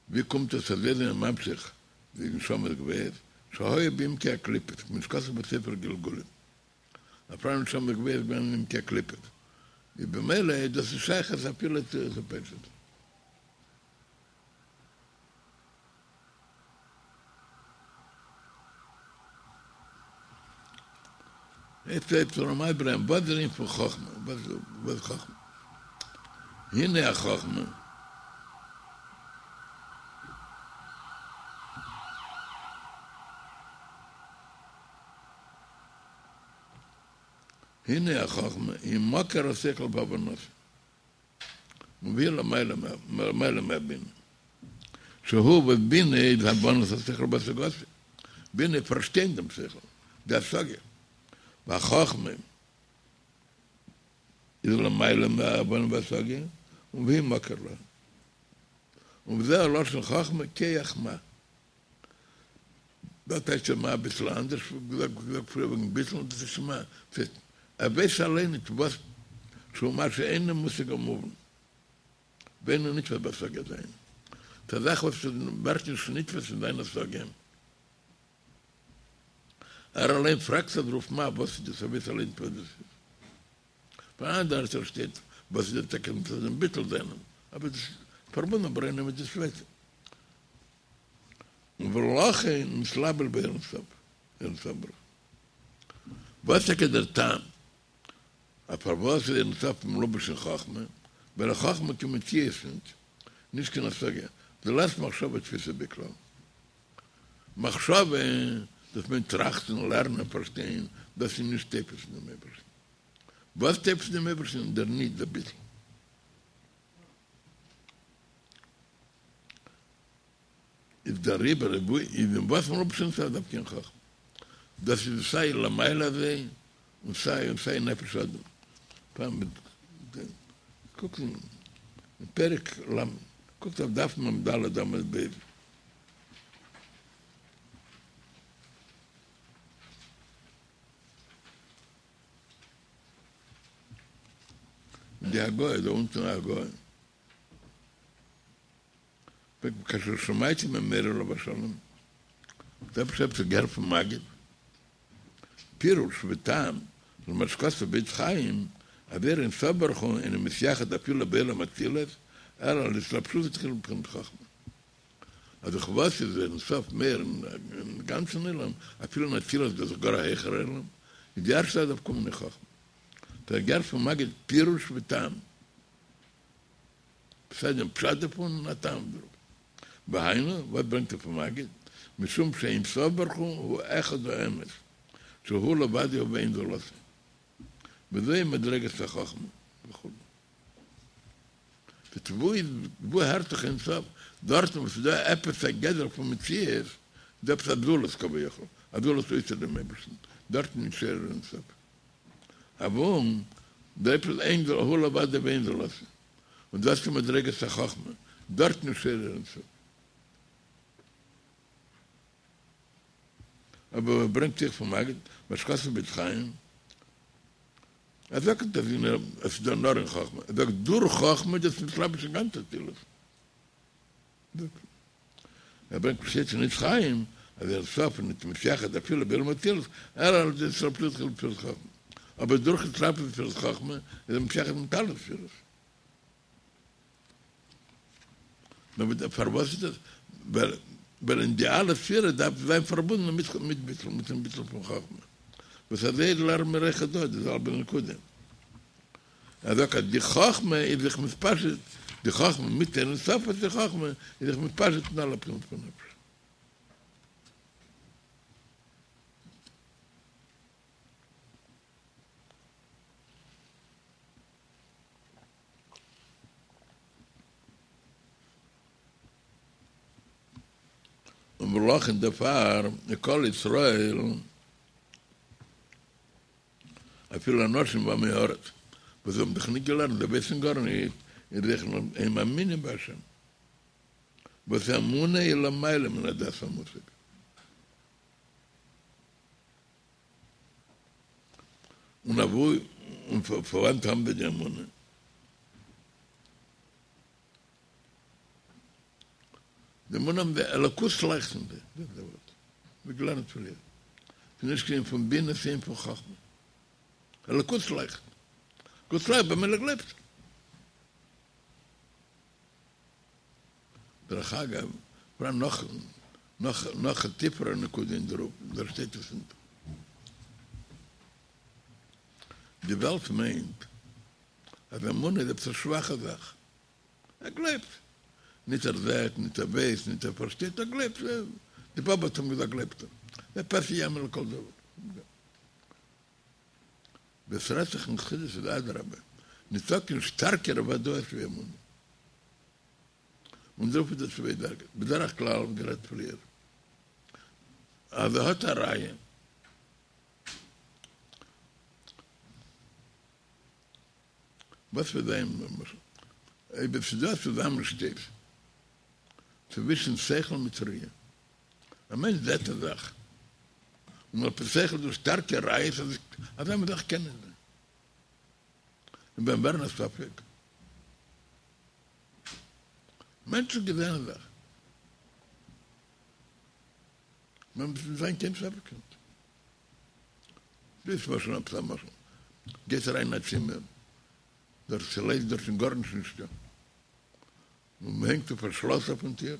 ווי קומט עס אז זיי זענען ממשיך די נשמות גבוהות שהיו בעמקי הקליפות כמו שכתוב בספר גלגולים אז פאראן נשמות גבוהות געווען אין עמקי הקליפות איז במילא איז דאס נישט שייך אז אפילו צו פשט. יעצט הייבט ער אן מסביר זיין וואס איז דער ענין פון חכמה, וואס איז חכמה? הנה החכמה, הנה החכמה היא מקור השכל והבנתו. והיא למעלה מהבינה. שהוא וואס בינה איז הבנת השכל והשגתו. בינה איז פארשטיין דעם שכל, די השגה. והחכמה איז למעלה מהבנה והשגה, און והיא מקור לה. און וזה הלשון חכמה כח מה. דא טייטשט ער מה אביסל אנדערש ווי געזאגט פריער וועגן ביטול, דאס איז מה, ס'הייסט ער ווייסט אליין נישט וואס שהוא מה שאינו מושג ומובן ואינו נתפס בהשגה עדיין. ס'איז א זאך וואס ווערט נישט נתפס אין זיין השגה. ער אליין פרעגט זיך דערויף מה וואס איז דאס ער ווייסט אליין נישט וואס דאס איז. פאראן דארט שטייט וואס איז דער טאקע מצד דעם ביטול זיינעם אבער דאס איז פארבונדן אבער איינער מיט די צווייטע. ולכן מתלבש באור אין סוף, אין סוף ברוך הוא. וואס טאקע דער טעם אז פארוואס איז אין סוף מלובש אין חכמה, ווייל חכמה קיין מציאות ניט, נישט קיין השגה, דלית מחשבה תפיסא ביה כלל. מחשבה, דאס מיינט טראכטן, לערנען, פארשטיין, דאס איז נישט תופס אין דעם אייבערשטן. וואס תופס אין דעם אייבערשטן? דער ניט, דער ביטול. איז דעריבער איז אין וואס מלובש אין סוף דווקא אין חכמה. דאס איז סיי למעלה אזוי און סיי און סיי נפש האדם. פעם קוקט אין פרק ל, קוקט אויף דף מ ד עמוד ב'. די הגהה דא אונטן א הגהה. כאשר שמעתי ממורי עליו השלום, דער פשט האב איך געהערט פון מגיד, פירוש וטעם למה שכתוב בעץ חיים, אז אור אין סוף ברוך הוא אינו מתייחד אפילו בעולם האצילות, אלא על התלבשותו תחילה בבחינת חכמה. אז דאך וואס איז אין סוף מאיר אין גאנצן עולם, אפילו אין אצילות דאס איז גאר א העכערע עולם, איז די ערשטע זאך דארף קומען אין חכמה. האב איך געהערט פון מגיד פירוש וטעם. סיי דעם פשט דערפון און א טעם דערויף. והיינו, וואס ברענגט ער פון מגיד? משום שאין סוף ברוך הוא הוא אחד האמת, שהוא לבדו ואין זולתו. וזוהי מדרגת החכמה וכו'. וואו איז, וואו הערט זיך אין סוף? דארטן וואו ס'איז דא עפעס א גדר פון מציאות, איז דא עפעס א זולת כביכול, א זולת אויסער דעם אייבערשטן, דארטן איז שורה אין סוף. אבער דא עפעס אין זולתו, הוא לבדו ואין זולתו. און דאס איז מדרגת החכמה, דארטן איז שורה אין סוף. אבער וואס ברענגט זיך פון מגיד, מה שכתוב בעץ חיים, ער זאגט נישט אז עס איז דא נאר אין חכמה, ער זאגט דורך חכמה איז דאס מתלבש אין גאנץ אצילות. ער ברענגט פשט אין עץ חיים אז אין סוף איז נישט מתייחד אפילו בעולם האצילות אלא על ידי התלבשותו בבחינת חכמה, אבער דורך התלבשות בבחינת חכמה איז ער מתייחד מיט אלע ספירות. נאר פארוואס איז דאס? ווייל אין די אלע ספירות דארף זיין פארבונדן מיט ביטול, מיטן ביטול פון חכמה, וואס אזוי לערנען מיר אויך דא די זעלבע נקודה. ער זאגט אז די חכמה איז זיך מתפשט, די חכמה מיט אין סוף איז די חכמה איז זיך מתפשט אין אלע בחינות פון נפש. און ולכן דערפאר כל ישראל. אפילו אנשים ועמי הארץ וואס האבן דאך ניט געלערנט, זיי ווייסן גארניט, איז אויך הם מאמינים בהשם, וואס אמונה היא למעלה מן הדעת והמושג. און אוואו און פון וואנעט האבן זיי די אמונה? די אמונה האבן זיי, אלוקות לייכט אין זיי, דאס איז דער ווארט, ווי געלערנט פריער, ס'איז נישט קיין ענין פון בינה, ס'איז ענין פון חכמה, אלוקות לייכט, אלוקות לייכט במילא גלייבט ער. דרך אגב, פאראן נאך נאך נאך א טיפערע נקודה אין דערויף, דארט שטייט עס ניט. די וועלט מיינט אז אמונה איז עפעס א שוואכע זאך. ער גלייבט. ניט ער זעט, ניט ער ווייסט, ניט ער פארשטייט, ער גלייבט. די באבע האט אים געזאגט גלייבט ער. זה פה שיאמין לכל דבר. ווען ס'רעדט זיך אין חסידות איז אדרבה, ניטא קיין שטארקערע וודאות ווי אמונה. און דערויף איז דא צוויי דרגות, בדרך כלל ווי גערעדט פריער אז ער האט א ראיה, וואס וועט זיין למשל אויב עס איז דא א צוזאמענשטויס צווישן שכל מיט ראיה, א מענטש זעט א זאך און על פי שכל איז דא שטארקע ראיות אז אזא מין זאך קען נישט זיין, און ביי אים ווערן א ספק. מענטש האט געזען א זאך. מען מוז נישט זיין קיין ספק נישט. דאס למשל עפעס א משל. גייסט אריין אין א צימער, דארט איז ליידיג דארט איז גארנישט נישטא. און מען הענגט אויף א שלאס אויפן טיר.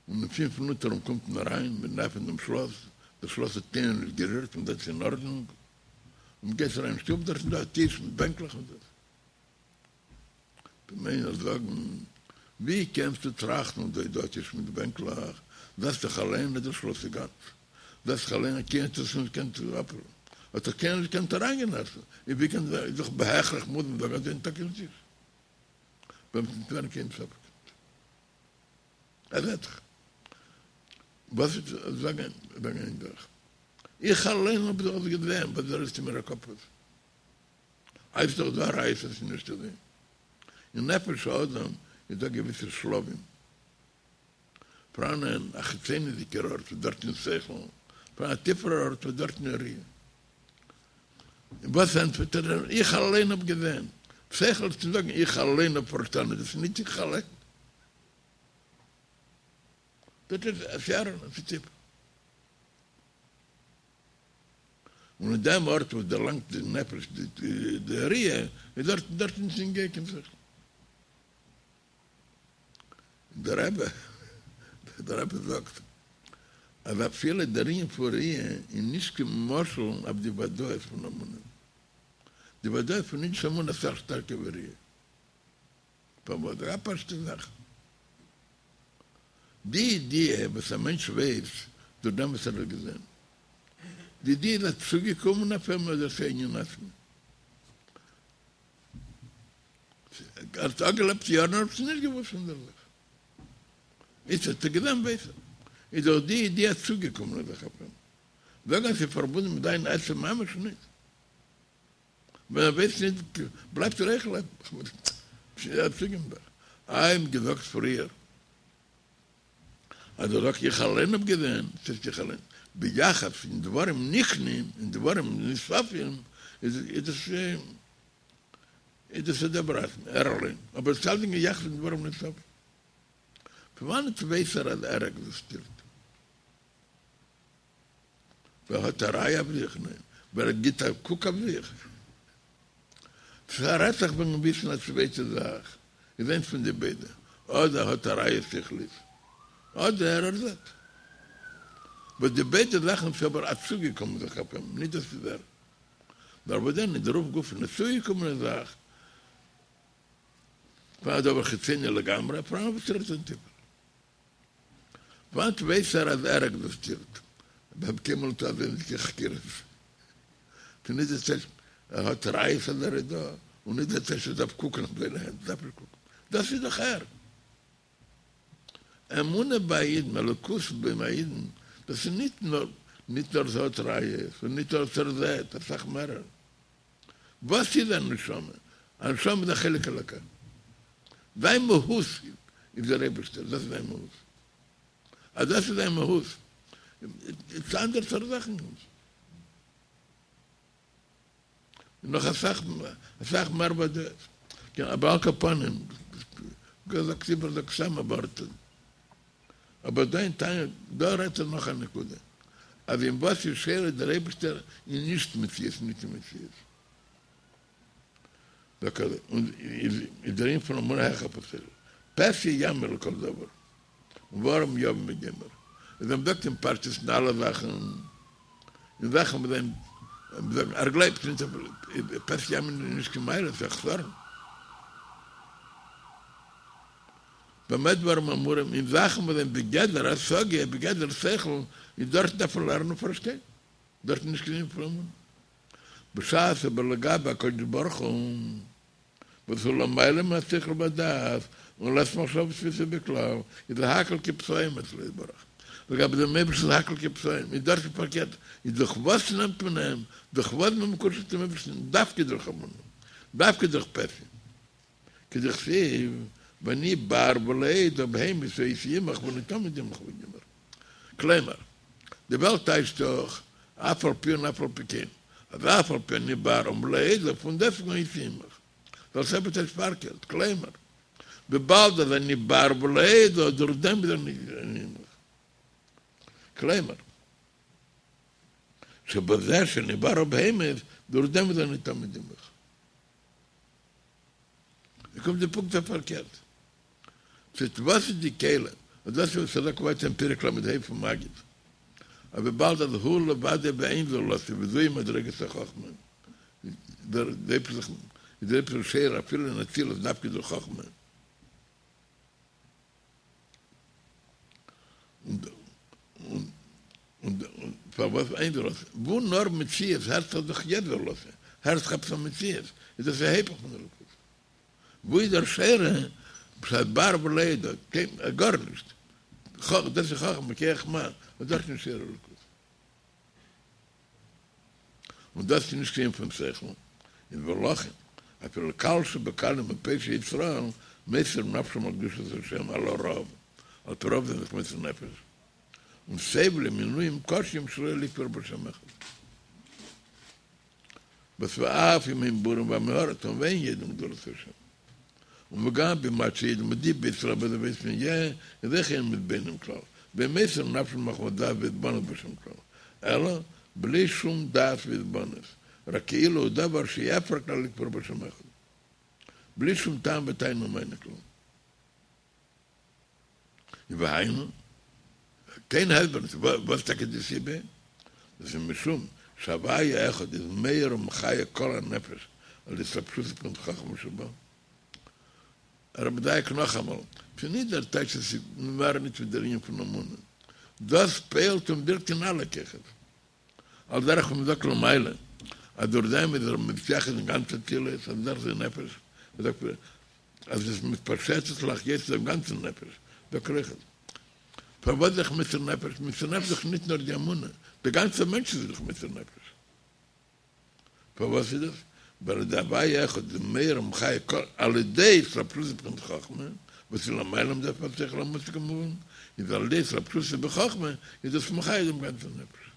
און אין פינף מינוט ארום קומט מען אריין, מען עפענט דעם שלאס, דער שלאס האט קיינער נישט גערירט, מען זעט ס'איז אין ארדענונג, און מען גייט אריין אין שטוב, דארט איז דא א טיש מיט בענקלעך און דאס. וועט איינער זאגן, ווי קענסטו טראכטן אז דא איז דא א טיש מיט בענקלעך, זעסט דאך אליין אז דער שלאס איז גאנץ, זעסט דאך אליין אז קיינער האט עס נישט געקענט אפ, האט דאך קיינער נישט געקענט אריינגיין עסן, איז ווי קען זיין, איז דאך בהכרח מוז מען זאגן אז דא איז ניטא קיין טיש, ביי אים וועט נישט ווערן קיין ספק. ער זעט דאך. וואס איז זאגן זאגן איין זאך. איך אליין האב דאך עס געזען, וואס רעדסטו מיר א קאפ אויס. איז דאך דא א ראיה אז ס'איז נישט אזוי. אין נפש האדם איז דא געוויסע שלבים. פאראן א חיצונית'דיגער ארט וואס דארטן איז שכל, פאראן א טיפערער ארט וואס דארטן איז ראיה. וואס ענטפערט ער? איך אליין האב געזען. שכל איז צו זאגן איך אליין האב פארשטאנען, דאס איז נישט איך אליין. דאס איז עס איז טיפ. און אין דעם ארט וואס דערלאנגט די נפש די ראיה, איז דארט דארט נישט נוגע קיין שכל. דער רבי דער רבי זאגט אז אפילו דער ענין פון ראיה איז נישט קיין משל אויף די וודאות פון אמונה. די וודאות פון אידישע אמונה איז אסאך שטארקער ווי ראיה. פארוואס? א פשוטע זאך. די ידיעה וואס א מענטש ווייס דורך דעם וואס ער האט געזען. די ידיעה איז א צוגעקומען אויף אים אדער ס'איז א ענין עצמי? ער האט אפגעלעבט יארן ער האט עס נישט געוואוסט פון דער זאך. איצט האט ער געזען ווייס ער. איז דאך די ידיעה א צוגעקומענע זאך אויף אים. זאגן אז ס'איז פארבונדן מיט זיין עצם ממש נישט. ווען ער ווייסט נישט בלייבט ער אויך לעבן. ס'איז א צוגעקומענע זאך. איי מ'האט געזאגט פריער אז ער זאגט איך אליין האב געזען, ס'הייסט איך אליין, ביחס אין דברים נקנים, אין דברים נוספים, איז דאס איז דאס א דבר עצמי, ער אליין, אבער עס איז אלצדינג אין יחס אין דברים נוספים. פון וואנעט ווייס ער אז ער עקזיסטירט? ווער האט א ראיה אויף זיך? ניין. ווער גיט א קוק אויף זיך? ס'רעדט זיך וועגן וויסן א צווייטע זאך, איז איינס פון די ביידע, אדער האט א ראיה שכלית, אדער ער זעט. וואס די ביידע זאכן איז אבער א צוגעקומען זאך אויף אים, נישט דאס איז ער. נאר וואס דען איז דערויף גופא א צוגעקומענע זאך, פאר א דבר חיצוני לגמרי, פאראן וואס רעדט זיין טיפער. וואנעט ווייס ער אז ער עקזיסטירט? כ'האב קיינמאל נישט אזוינס קיין חקירות. ס'איז נישט די טייטש ער האט ראיות אז ער איז דא, און נישט די טייטש ער דארף קוקן אויף זיינע הענט, דארף נישט קוקן. דאס איז דאך ער. אמונה ביי א אידן, אלוקות ביי א אידן, דאס איז נישט נאר. ניט נאר ס'האט ראיות, און ניט נאר ער זעט, אסאך מערער. וואס איז א נשמה? א נשמה איז א חלק אלוקה. זיין מהות איז דער אייבערשטער, דאס איז זיין מהות. אז דאס איז זיין מהות, איז אנדערע סארט זאכן. און נאך אסאך אסאך מער ווי דאס. כן, אבער על כל פנים, זאגט איבער זאגט סתם א ווארט. אבער דא אין תניא, דא רעדט ער נאך א נקודה, אז אין וואס איז שורה דער אייבערשטער איז נישט מציאות נישט אין מציאות. זאגט ער, און איז דער ענין פון אמונה העכער פון שכל. פתי יאמין לכל דבר. וערום יבין וגומר. איז ווען מ'זאגט אים פשטות אין אלע זאכן, אין זאכן וואס זענען, זאגן ער גלייבט נישט אויף פתי יאמין איז נישט קיין מעלה, ס'איז א חסרון. במה דברים אמורים, אין זאכן וואס זענען בגדר השגה, בגדר שכל, איז דארט דארף מען לערנען און פארשטיין, דארט איז נישט קיין ענין פון אמונה. בשעת אבער לגבי הקדוש ברוך הוא, וואס הוא למעלה מהשכל והדעת, און לית מחשבה תפיסה ביה כלל, איז הכל כפסעים אצלו יתברך. לגבי דעם אייבערשטן איז הכל כפסעים, איז דארט איז פארקערט, איז דורך וואס נעמט מען אים, דורך וואס איז מען מקושר צום אייבערשטן, דווקא דורך אמונה, דווקא דורך פתי. כדכתיב, ואני בער ולא אדע בהמות הייתי עמך ואני תמיד עמך וגומר. כלומר, די וועלט טייטשט דאך אף על פי און אף על פי כן, אז אף על פי אני בער ולא אדע פון דעסטוועגן הייתי עמך. דער אלטער רבי טייטשט פארקערט, כלומר, וויבאלד אז אני בער ולא אדע, דורך דעם איז אני עמך. כלומר, שבזה שאני בער ובהמות, דורך דעם איז אני תמיד עמך. עס קומט די פונקט אויף פארקערט. ס'איז וואס איז די כלי? און דאס איז וואס ער זאגט ווייטער אין פרק ל"ה פון מגיד, אז וויבאלד אז הוא לבדו ואין זולתו וזוהי מדרגת החכמה, איז דער אייבערשטער שורה אפילו אין אצילות דווקא דורך חכמה. און פארוואס אין זולתו? וואו נאר מציאות הערט זיך דאך יש זולתו, הערט זיך עפעס א מציאות, איז דאס היפך פון אלוקות. וואו איז דער שורה בשעת בער ולא ידע, גארנישט, דאס איז חכמה, מכח מה, און דארט איז נישט שורה אלוקות. און דאס איז נישט קיין ענין פון שכל, איז ולכן, אפילו קל שבקלים ופושעי ישראל מוסרים נפשם על קדושת השם על הרוב, על פי רוב זענען זיך מוסר נפש, און סובלים עינויים קשים שלא לכפור בהשם אחד. וואס ואף אם הם בורים ועמי הארץ ואין יודעים גדולת השם. און וגם במעט שיודעים ודיבו ישראל בזה ויתמהה איז אויך אין מתבוננים כלל, ואין מוסרים נפשם מחמת דעת והתבוננות בהשם כלל, אלא בלי שום דעת והתבוננות, רק כאילו הוא דבר שאי אפשר כלל לכפור בהשם אחד. בלי שום טעם וטענה ומענה כלל. והיינו, קיין הסבר נישט וואס טאקע די סיבה, דאס איז משום שהוויה אחד איז מאיר ומחיה כל הנפש על ידי התלבשותו בבחינת חכמה שבו. ער איז מדייק נאכאמאל, ס'איז נישט דער טייטש אז ס'איז מער נישט ווי דער ענין פון אמונה, דאס פועל'ט און ווירקט אין אלע כוחות. על דרך ווי מ'זאגט למעלה אז דורך דעם איז ער מתייחד אין גאנץ אצילות, על דרך זה נפש, מ'זאגט אז עס מתפשטת להחיות דעם גאנצן נפש, זאגט ער אויכעט. פארוואס זיך מוסר נפש? מוסר נפש איז דאך נישט נאר די אמונה, דער גאנצער מענטש איז זיך מוסר נפש. פארוואס איז דאס? ווייל די הוויה אחד איז מאיר ומחיה כל על ידי התלבשותו בבחינת חכמה, וואס איז למעלה מדעת השכל המושג כמובן, איז על ידי התלבשותו בחכמה איז דאס מחיה דעם גאנצן נפש.